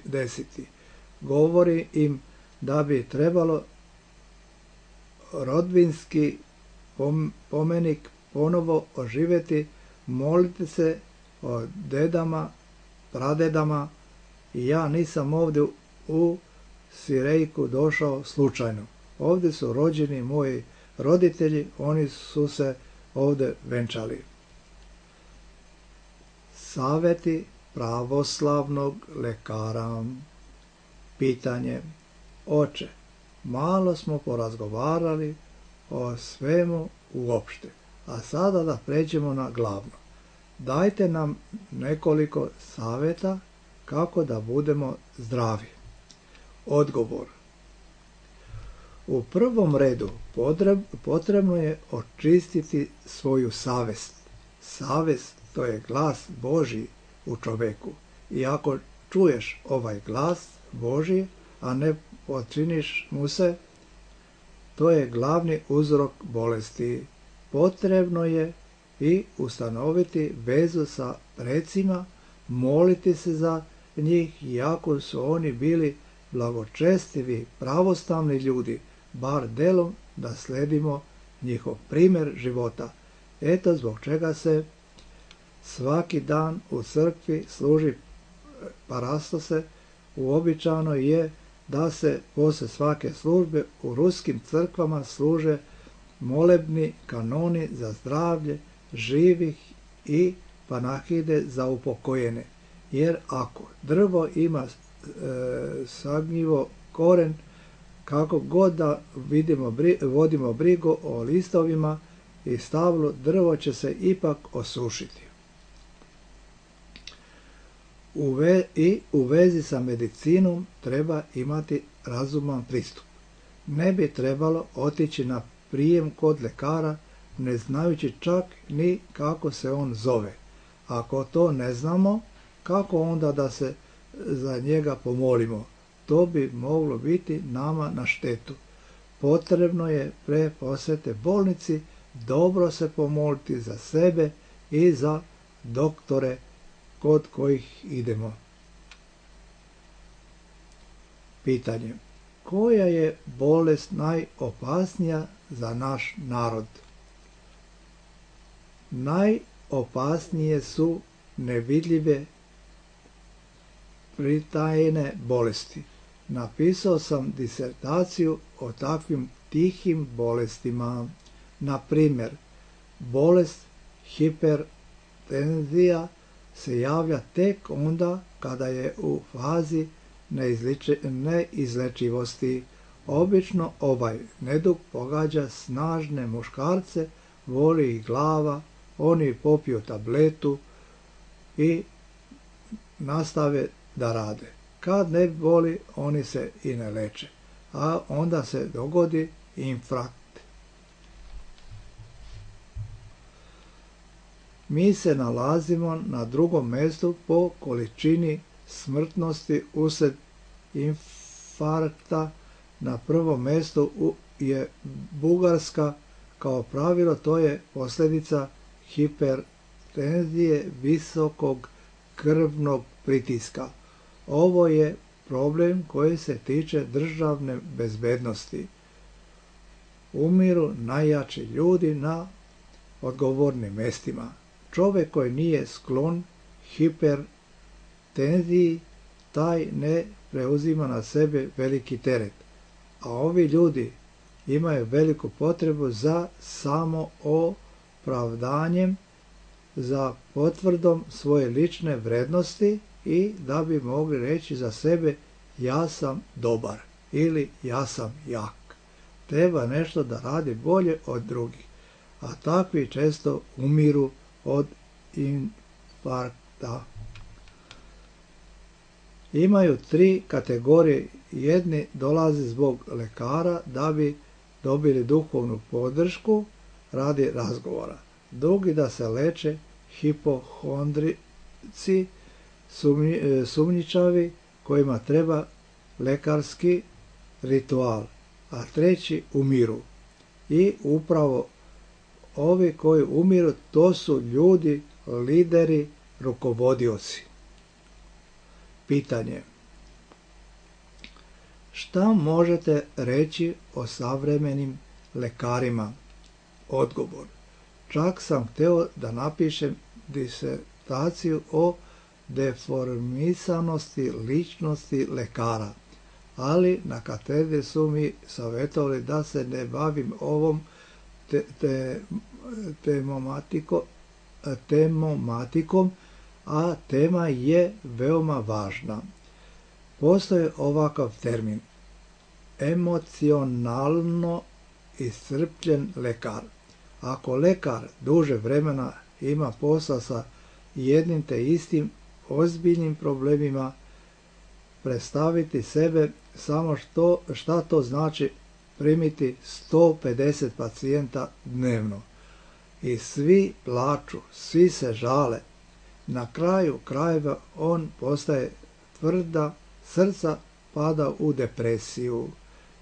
Speaker 1: desiti. Govori im da bi trebalo rodbinski pomenik ponovo oživjeti, moliti se o dedama, pradedama, i ja nisam ovdje u Sirejku došao slučajno. Ovdje su rođeni moji roditelji, oni su se ovdje venčali. Savjeti pravoslavnog lekara. Pitanje. Oče, malo smo porazgovarali o svemu uopšte, a sada da pređemo na glavno. Dajte nam nekoliko savjeta kako da budemo zdravi. Odgovor. U prvom redu potrebno je očistiti svoju savest. Savest, to je glas Božji u čoveku. I ako čuješ ovaj glas Božji, a ne podčiniš mu se, to je glavni uzrok bolesti. Potrebno je i ustanoviti vezu sa precima, moliti se za njih, iako su oni bili blagočestivi, pravoslavni ljudi, bar delom da sledimo njihov primjer života. Eto zbog čega se svaki dan u crkvi služi parastose. Uobičajeno je da se poslije svake službe u ruskim crkvama služe molebni kanoni za zdravlje živih i panahide za upokojene. Jer ako drvo ima sagnjivo koren, kako god da vodimo brigu o listovima i stablu, drvo će se ipak osušiti. U vezi sa medicinom treba imati razuman pristup. Ne bi trebalo otići na prijem kod lekara ne znajući čak ni kako se on zove. Ako to ne znamo, kako onda da se za njega pomolimo? To bi moglo biti nama na štetu. Potrebno je pre posjete bolnici dobro se pomoliti za sebe i za doktore kod kojih idemo. Pitanje. Koja je bolest najopasnija za naš narod? Najopasnije su nevidljive pritajene bolesti. Napisao sam disertaciju o takvim tihim bolestima. Na primjer, bolest hipertenzija se javlja tek onda kada je u fazi neizlečivosti. Obično ovaj nedug pogađa snažne muškarce, boli ih glava, oni popiju tabletu i nastave da rade. Kad ne boli, oni se i ne leče, a onda se dogodi infarkt. Mi se nalazimo na drugom mjestu po količini smrtnosti usred infarkta. Na prvom mjestu je Bugarska. Kao pravilo to je posljedica hipertenzije, visokog krvnog pritiska. Ovo je problem koji se tiče državne bezbednosti. Umiru najjači ljudi na odgovornim mjestima. Čovjek koji nije sklon hipertenziji, taj ne preuzima na sebe veliki teret. A ovi ljudi imaju veliku potrebu za samoopravdanjem, za potvrdom svoje lične vrednosti i da bi mogli reći za sebe ja sam dobar ili ja sam jak. Treba nešto da radi bolje od drugih, a takvi često umiru od infarkta. Imaju 3 kategorije. Jedni dolaze zbog lekara da bi dobili duhovnu podršku radi razgovora. Drugi da se leče hipohondrici, sumnjičavi kojima treba lekarski ritual, a treći umiru. I upravo ovi koji umiru, to su ljudi, lideri, rukovodioci. Pitanje. Šta možete reći o savremenim lekarima? Odgovor. Čak sam htio da napišem disertaciju o deformisanosti ličnosti lekara, ali na katedri su mi savjetovali da se ne bavim ovom temomatikom, a tema je veoma važna. Postoji ovakav termin, emocionalno iscrpljen lekar. Ako lekar duže vremena ima posla sa jednim te istim ozbiljnim problemima, predstaviti sebe samo šta to znači primiti 150 pacijenta dnevno. I svi plaču, svi se žale. Na kraju krajeva on postaje tvrda, srca pada u depresiju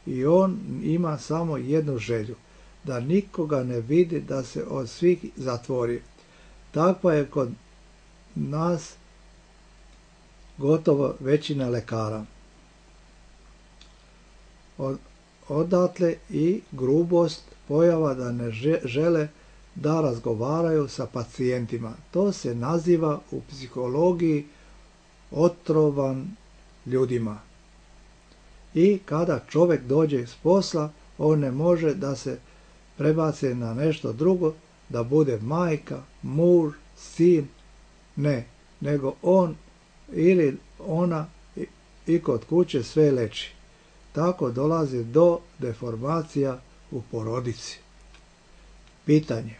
Speaker 1: i on ima samo jednu želju, da nikoga ne vidi, da se od svih zatvori. Takva je kod nas gotovo većina lekara. Odatle i grubost, pojava da ne žele da razgovaraju sa pacijentima. To se naziva u psihologiji otrovan ljudima. I kada čovjek dođe s posla, on ne može da se prebaci na nešto drugo, da bude majka, muž, sin, ne, nego on ili ona i kod kuće sve leči. Tako dolazi do deformacija u porodici. Pitanje.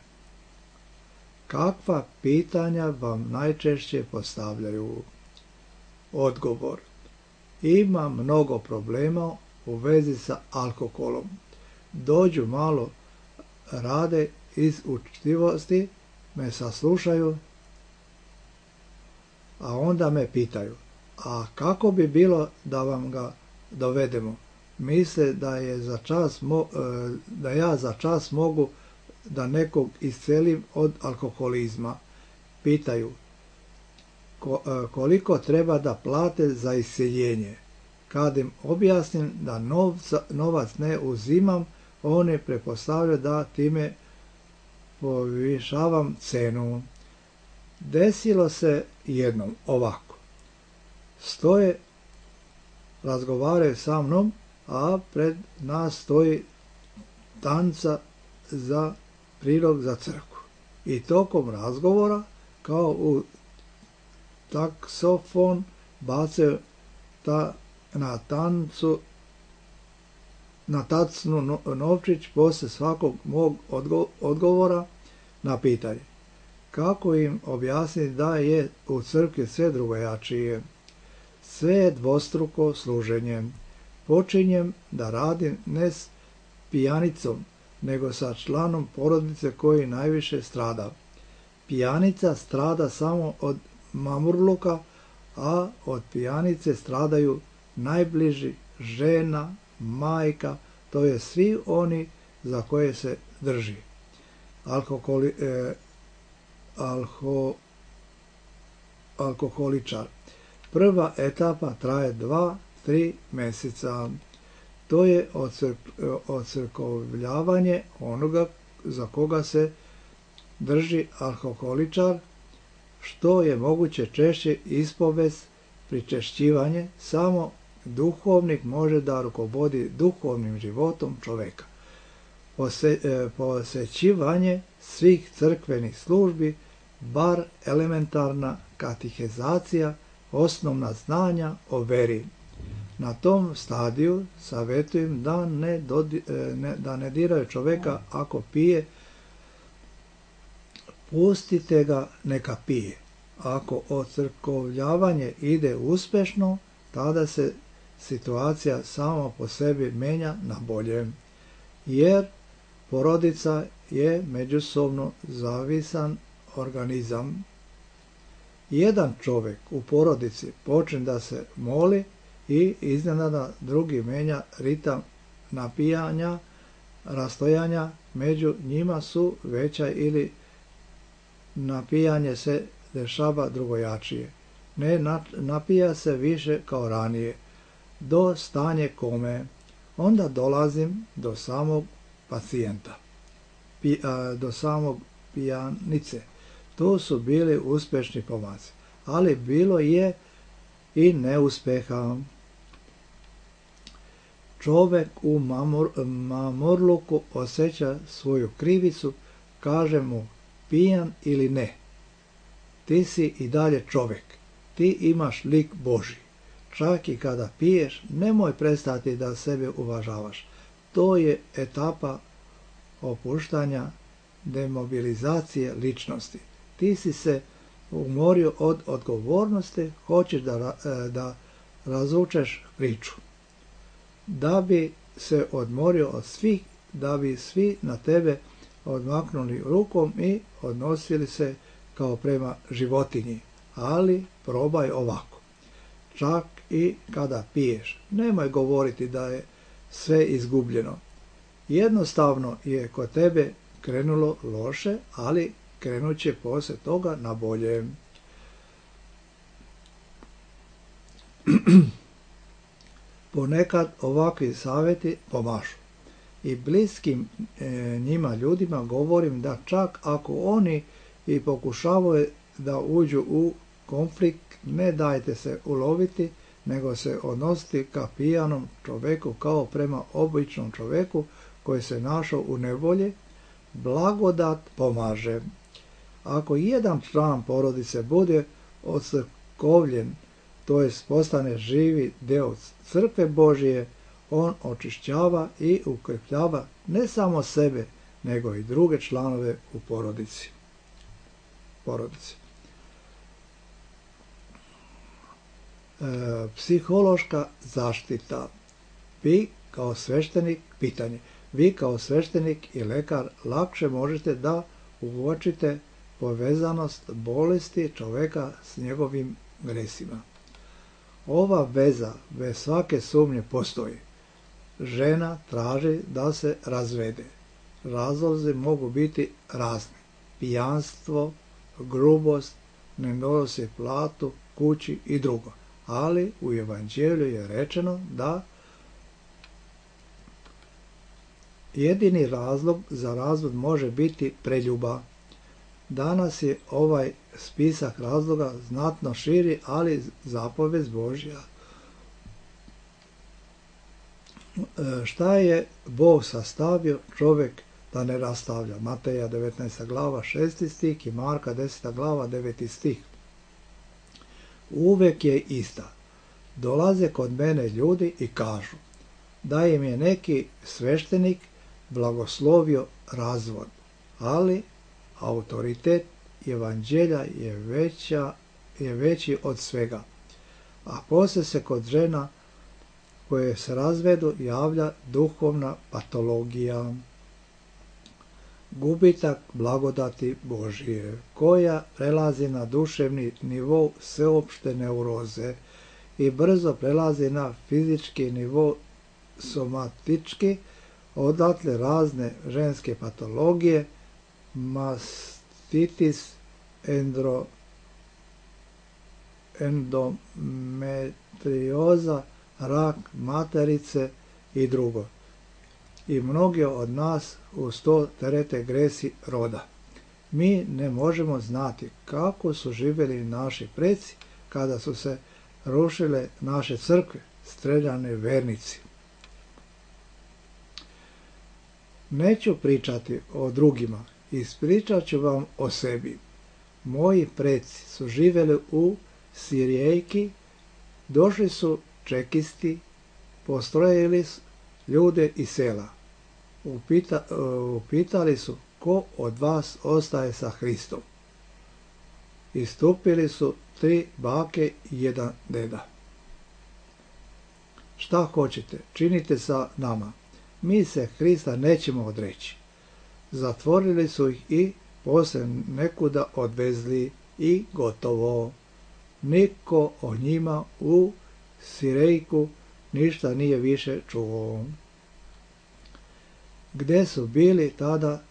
Speaker 1: Kakva pitanja vam najčešće postavljaju? Odgovor. Ima mnogo problema u vezi sa alkoholom. Dođu malo, rade iz učtivosti, me saslušaju, a onda me pitaju, a kako bi bilo da vam ga dovedemo? Misle da ja za čas mogu da nekog iscelim od alkoholizma. Pitaju, koliko treba da plate za isceljenje? Kad im objasnim da novac ne uzimam, oni pretpostavljaju da time povišavam cenu. Desilo se jednom ovako. Stoje, razgovaraju sa mnom, a pred nas stoji tanca za prilog za crkvu. i tokom razgovora kao u taksofon bacaju na tacnu novčić poslije svakog mog odgovora na pitanje. Kako im objasniti da je u crkvi sve drugojačije? Sve je dvostruko služenje. Počinjem da radim ne s pijanicom, nego sa članom porodice koji najviše strada. Pijanica strada samo od mamurluka, a od pijanice stradaju najbliži, žena, majka, to je svi oni za koje se drži. Alkoholičar. Prva etapa traje 2-3 mjeseca. To je ocrkovljavanje onoga za koga se drži alkoholičar, što je moguće češće ispovest, pričešćivanje. Samo duhovnik može da rukovodi duhovnim životom čoveka. Posjećivanje svih crkvenih službi, bar elementarna katehizacija, osnovna znanja o veri. Na tom stadiju savjetujem da ne diraju čoveka ako pije, pustite ga neka pije. Ako ocrkovljavanje ide uspješno, tada se situacija sama po sebi menja na bolje, jer porodica je međusobno zavisan organizam. Jedan čovjek u porodici počne da se moli i iznenada drugi menja ritam napijanja, rastojanja među njima su veća ili napijanje se dešava drugojačije. Ne napija se više kao ranije, do stanje kome. Onda dolazim do samog pacijenta, do samog pijanice. To su bili uspješni pomaci, ali bilo je i neuspeha. Čovjek u mamurluku osjeća svoju krivicu, kaže mu pijan ili ne. Ti si i dalje čovjek, ti imaš lik Božji. Čak i kada piješ, nemoj prestati da sebe uvažavaš. To je etapa opuštanja, demobilizacije ličnosti. Ti si se umorio od odgovornosti, hoćeš da razvučeš priču. Da bi se odmorio od svih, da bi svi na tebe odmaknuli rukom i odnosili se kao prema životinji. Ali probaj ovako. Čak i kada piješ, nemoj govoriti da je sve izgubljeno. Jednostavno je kod tebe krenulo loše, ali krenut će poslije toga na bolje. Ponekad ovakvi savjeti pomažu. I bliskim njima ljudima govorim da čak ako oni i pokušavaju da uđu u konflikt, ne dajte se uloviti, nego se odnositi ka pijanom čoveku kao prema običnom čoveku koji se našao u nevolji. Blagodat pomaže. Ako jedan član porodice bude ocrkovljen, to jest postane živi deo crkve Božije, on očišćava i ukrepljava ne samo sebe, nego i druge članove u porodici. Psihološka zaštita. Vi kao sveštenik i lekar lakše možete da uočite povezanost bolesti čoveka s njegovim gresima. Ova veza bez svake sumnje postoji. Žena traži da se razvede. Razlozi mogu biti razni. Pijanstvo, grubost, ne nosi platu kući i drugo. Ali u Evanđelju je rečeno da jedini razlog za razvod može biti preljuba. Danas je ovaj spisak razloga znatno širi, ali zapovest Božja. Šta je Bog sastavio, čovjek da ne rastavlja. Mateja 19. glava 6. stih i Marka 10. glava 9. stih. Uvek je ista. Dolaze kod mene ljudi i kažu da im je neki sveštenik blagoslovio razvod, ali autoritet evanđelja je veći od svega. A poslije se kod žena koje se razvedu javlja duhovna patologija, gubitak blagodati Božije, koja prelazi na duševni nivo sveopšte neuroze i brzo prelazi na fizički nivo somatički, odatle razne ženske patologije, mastitis, endometrioza, rak materice i drugo. I mnogi od nas uz to terete gresi roda. Mi ne možemo znati kako su živjeli naši preci kada su se rušile naše crkve, streljane vernici. Neću pričati o drugima, ispričat ću vam o sebi. Moji preci su živjeli u Sirijejki, došli su čekisti, postrojili ljude iz sela. Upitali su ko od vas ostaje sa Hristom. Istupili su 3 bake i 1 deda. Šta hoćete, činite sa nama. Mi se Hrista nećemo odreći. Zatvorili su ih i poslije nekuda odvezli i gotovo. Niko o njima u Sirejku ništa nije više čuo. Gde su bili tada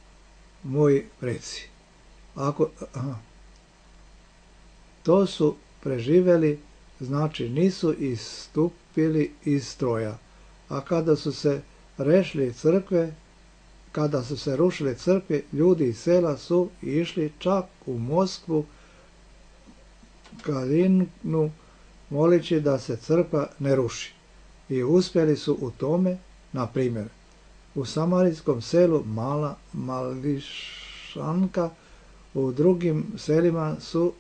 Speaker 1: moji preci? To su preživjeli, znači nisu istupili iz stroja. A kada su se rušile crkve, ljudi iz sela su išli čak u Moskvu, Kalinu, molići da se crkva ne ruši. I uspjeli su u tome, na primjer, u samarijskom selu Mala Mališanka, u drugim selima su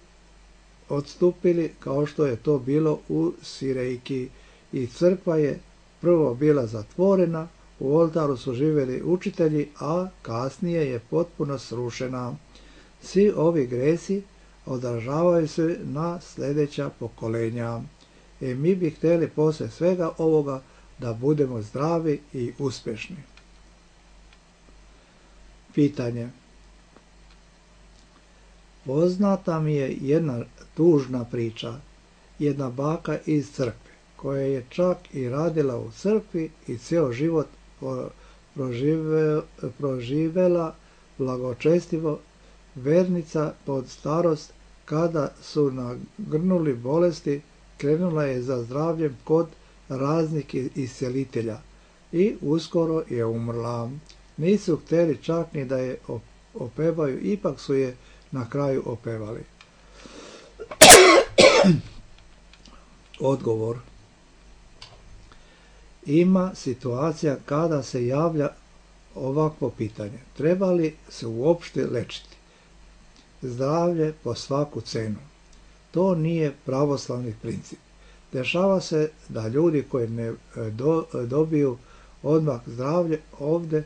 Speaker 1: odstupili kao što je to bilo u Sirejki i crkva je prvo bila zatvorena, u oltaru su živjeli učitelji, a kasnije je potpuno srušena. Svi ovi gresi odražavaju se na sljedeća pokolenja. I mi bi htjeli poslije svega ovoga da budemo zdravi i uspješni. Pitanje. Poznata mi je jedna tužna priča, jedna baka iz crkve, koja je čak i radila u crkvi i cijel život proživela blagočestivo, vernica pod starost, kada su nagrnuli bolesti, krenula je za zdravljem kod raznih iscelitelja i uskoro je umrla. Nisu htjeli čak ni da je opevaju, ipak su je na kraju opevali. Odgovor. Ima situacija kada se javlja ovakvo pitanje. Treba li se uopšte lečiti? Zdravlje po svaku cenu. To nije pravoslavni princip. Dešava se da ljudi koji ne dobiju odmah zdravlje ovdje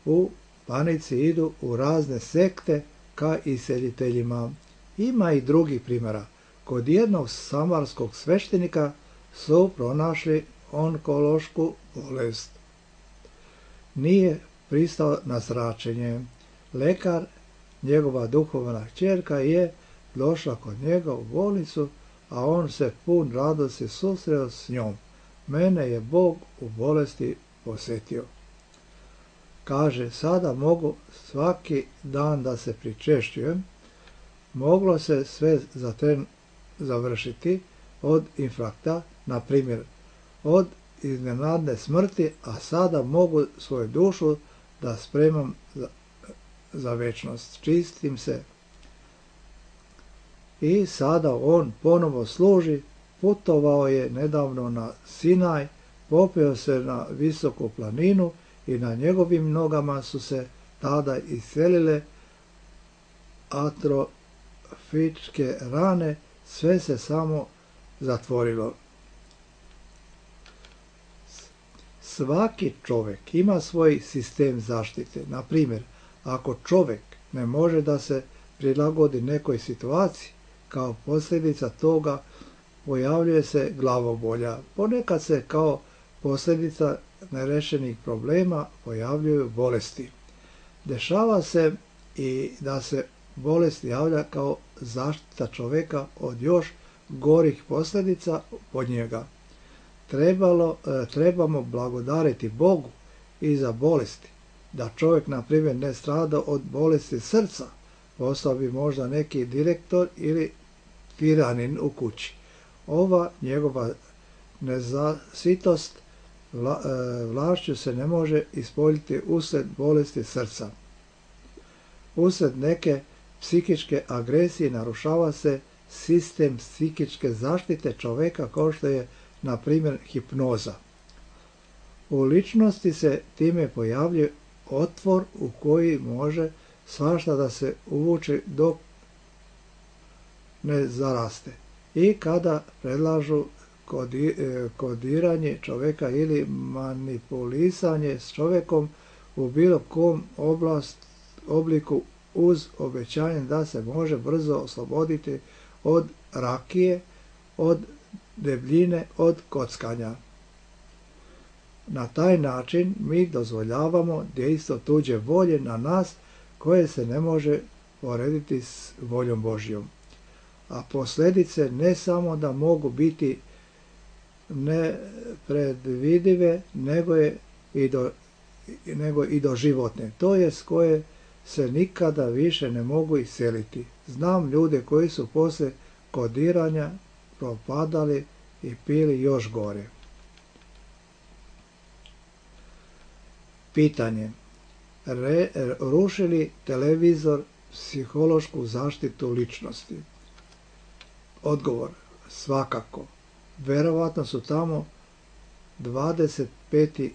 Speaker 1: u panici idu u razne sekte ka isceliteljima. Ima i drugih primjera. Kod jednog samarskog sveštenika su pronašli onkološku bolest. Nije pristao na zračenje. Lekar, njegova duhovna kćerka, je došla kod njega u bolnicu, a on se pun radosti susreo s njom. Mene je Bog u bolesti posjetio. Kaže, sada mogu svaki dan da se pričešćujem. Moglo se sve za tren završiti od infarkta, na primjer, od iznenadne smrti, a sada mogu svoju dušu da spremam za večnost. Čistim se. I sada on ponovo služi, putovao je nedavno na Sinaj, popeo se na visoku planinu i na njegovim nogama su se tada iselile atrofičke rane, sve se samo zatvorilo. Svaki čovjek ima svoj sistem zaštite. Na primjer, ako čovjek ne može da se prilagodi nekoj situaciji, kao posljedica toga pojavljuje se glavobolja. Ponekad se kao posljedica nerešenih problema pojavljuju bolesti. Dešava se i da se bolest javlja kao zaštita čovjeka od još gorih posljedica od njega. Trebamo blagodariti Bogu i za bolesti. Da čovjek, na primjer, ne strada od bolesti srca, postao bi možda neki direktor ili tiranin u kući. Ova njegova nezasitost vlašću se ne može ispoljiti usred bolesti srca. Usred neke psihičke agresije narušava se sistem psihičke zaštite čovjeka, kao što je, na primjer, hipnoza. U ličnosti se time pojavljuje otvor u koji može svašta da se uvuče dok ne zaraste. I kada predlažu kodiranje čovjeka ili manipulisanje s čovjekom u bilo kom obliku uz obećanje da se može brzo osloboditi od rakije, od debljine, od kockanja. Na taj način mi dozvoljavamo dejstvo tuđe volje na nas koje se ne može porediti s voljom Božjom. A posljedice ne samo da mogu biti nepredvidive, nego i doživotne, to jest koje se nikada više ne mogu iseliti. Znam ljude koji su poslije kodiranja propadali i pili još gore. Pitanje. Ruši li televizor psihološku zaštitu ličnosti? Odgovor. Svakako. Verovatno su tamo 25.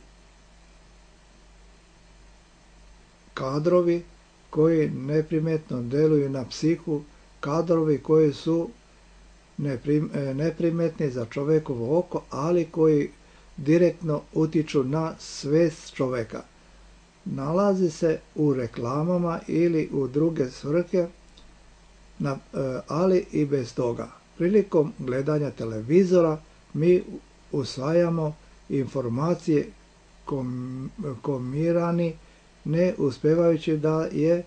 Speaker 1: kadrovi koji neprimetno deluju na psihu, kadrovi koji su neprimetni za čovjekovo oko, ali koji direktno utiču na svest čovjeka. Nalazi se u reklamama ili u druge svrhe, ali i bez toga. Prilikom gledanja televizora mi usvajamo informacije komirani, ne uspijevajući da je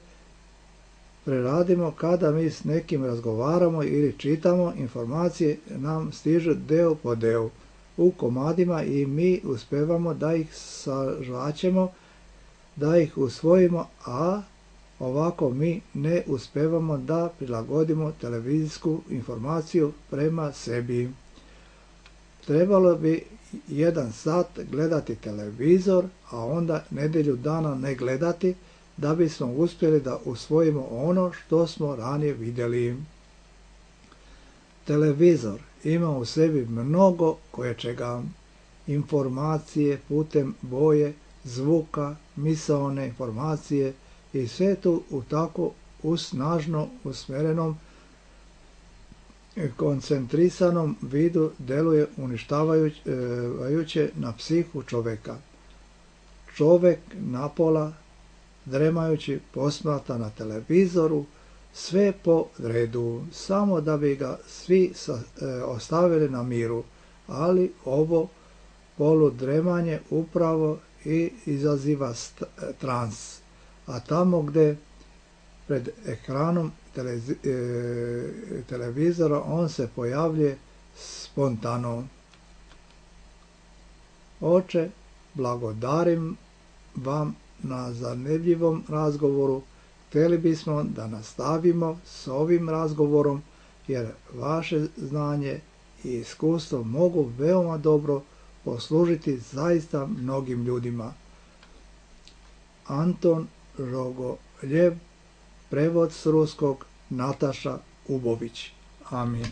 Speaker 1: preradimo. Kada mi s nekim razgovaramo ili čitamo, informacije nam stižu deo po deo u komadima i mi uspijevamo da ih sažvaćemo, da ih usvojimo, a ovako mi ne uspijevamo da prilagodimo televizijsku informaciju prema sebi. Trebalo bi 1 sat gledati televizor, a onda nedjelju dana ne gledati, da bismo uspjeli da usvojimo ono što smo ranije vidjeli. Televizor ima u sebi mnogo koječega, informacije putem boje, zvuka, misaone informacije i sve tu u tako snažno usmjerenom, koncentrisanom vidu deluje uništavajuće na psihu čovjeka. Čovjek napola, dremajući, posmatra na televizoru, sve po redu, samo da bi ga svi ostavili na miru, ali ovo poludremanje upravo i izaziva trans, a tamo gdje pred ekranom televizora on se pojavljuje spontano. Oče, blagodarim vam na zanimljivom razgovoru. Htjeli bismo da nastavimo s ovim razgovorom, jer vaše znanje i iskustvo mogu veoma dobro poslužiti zaista mnogim ljudima. Anton Rogoljev, prevod s ruskog Nataša Ubović. Amin.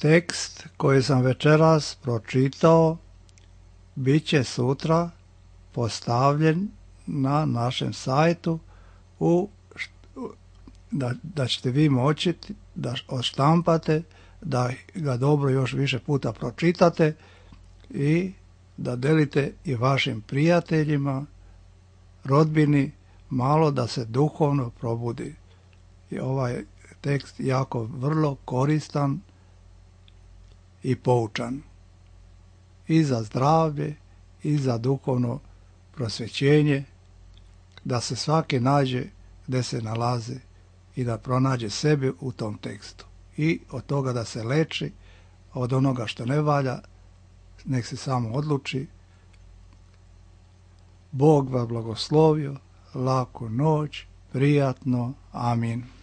Speaker 1: Tekst koji sam večeras pročitao bit će sutra postavljen na našem sajtu da ćete vi moći da odštampate, da ga dobro još više puta pročitate i da delite i vašim prijateljima, rodbini, malo da se duhovno probudi. I ovaj tekst jako vrlo koristan i poučan i za zdravlje i za duhovno prosvećenje, da se svaki nađe gdje se nalazi i da pronađe sebe u tom tekstu i od toga da se leči, od onoga što ne valja nek se samo odluči. Bog vas blagoslovio, laku noć, prijatno, amin.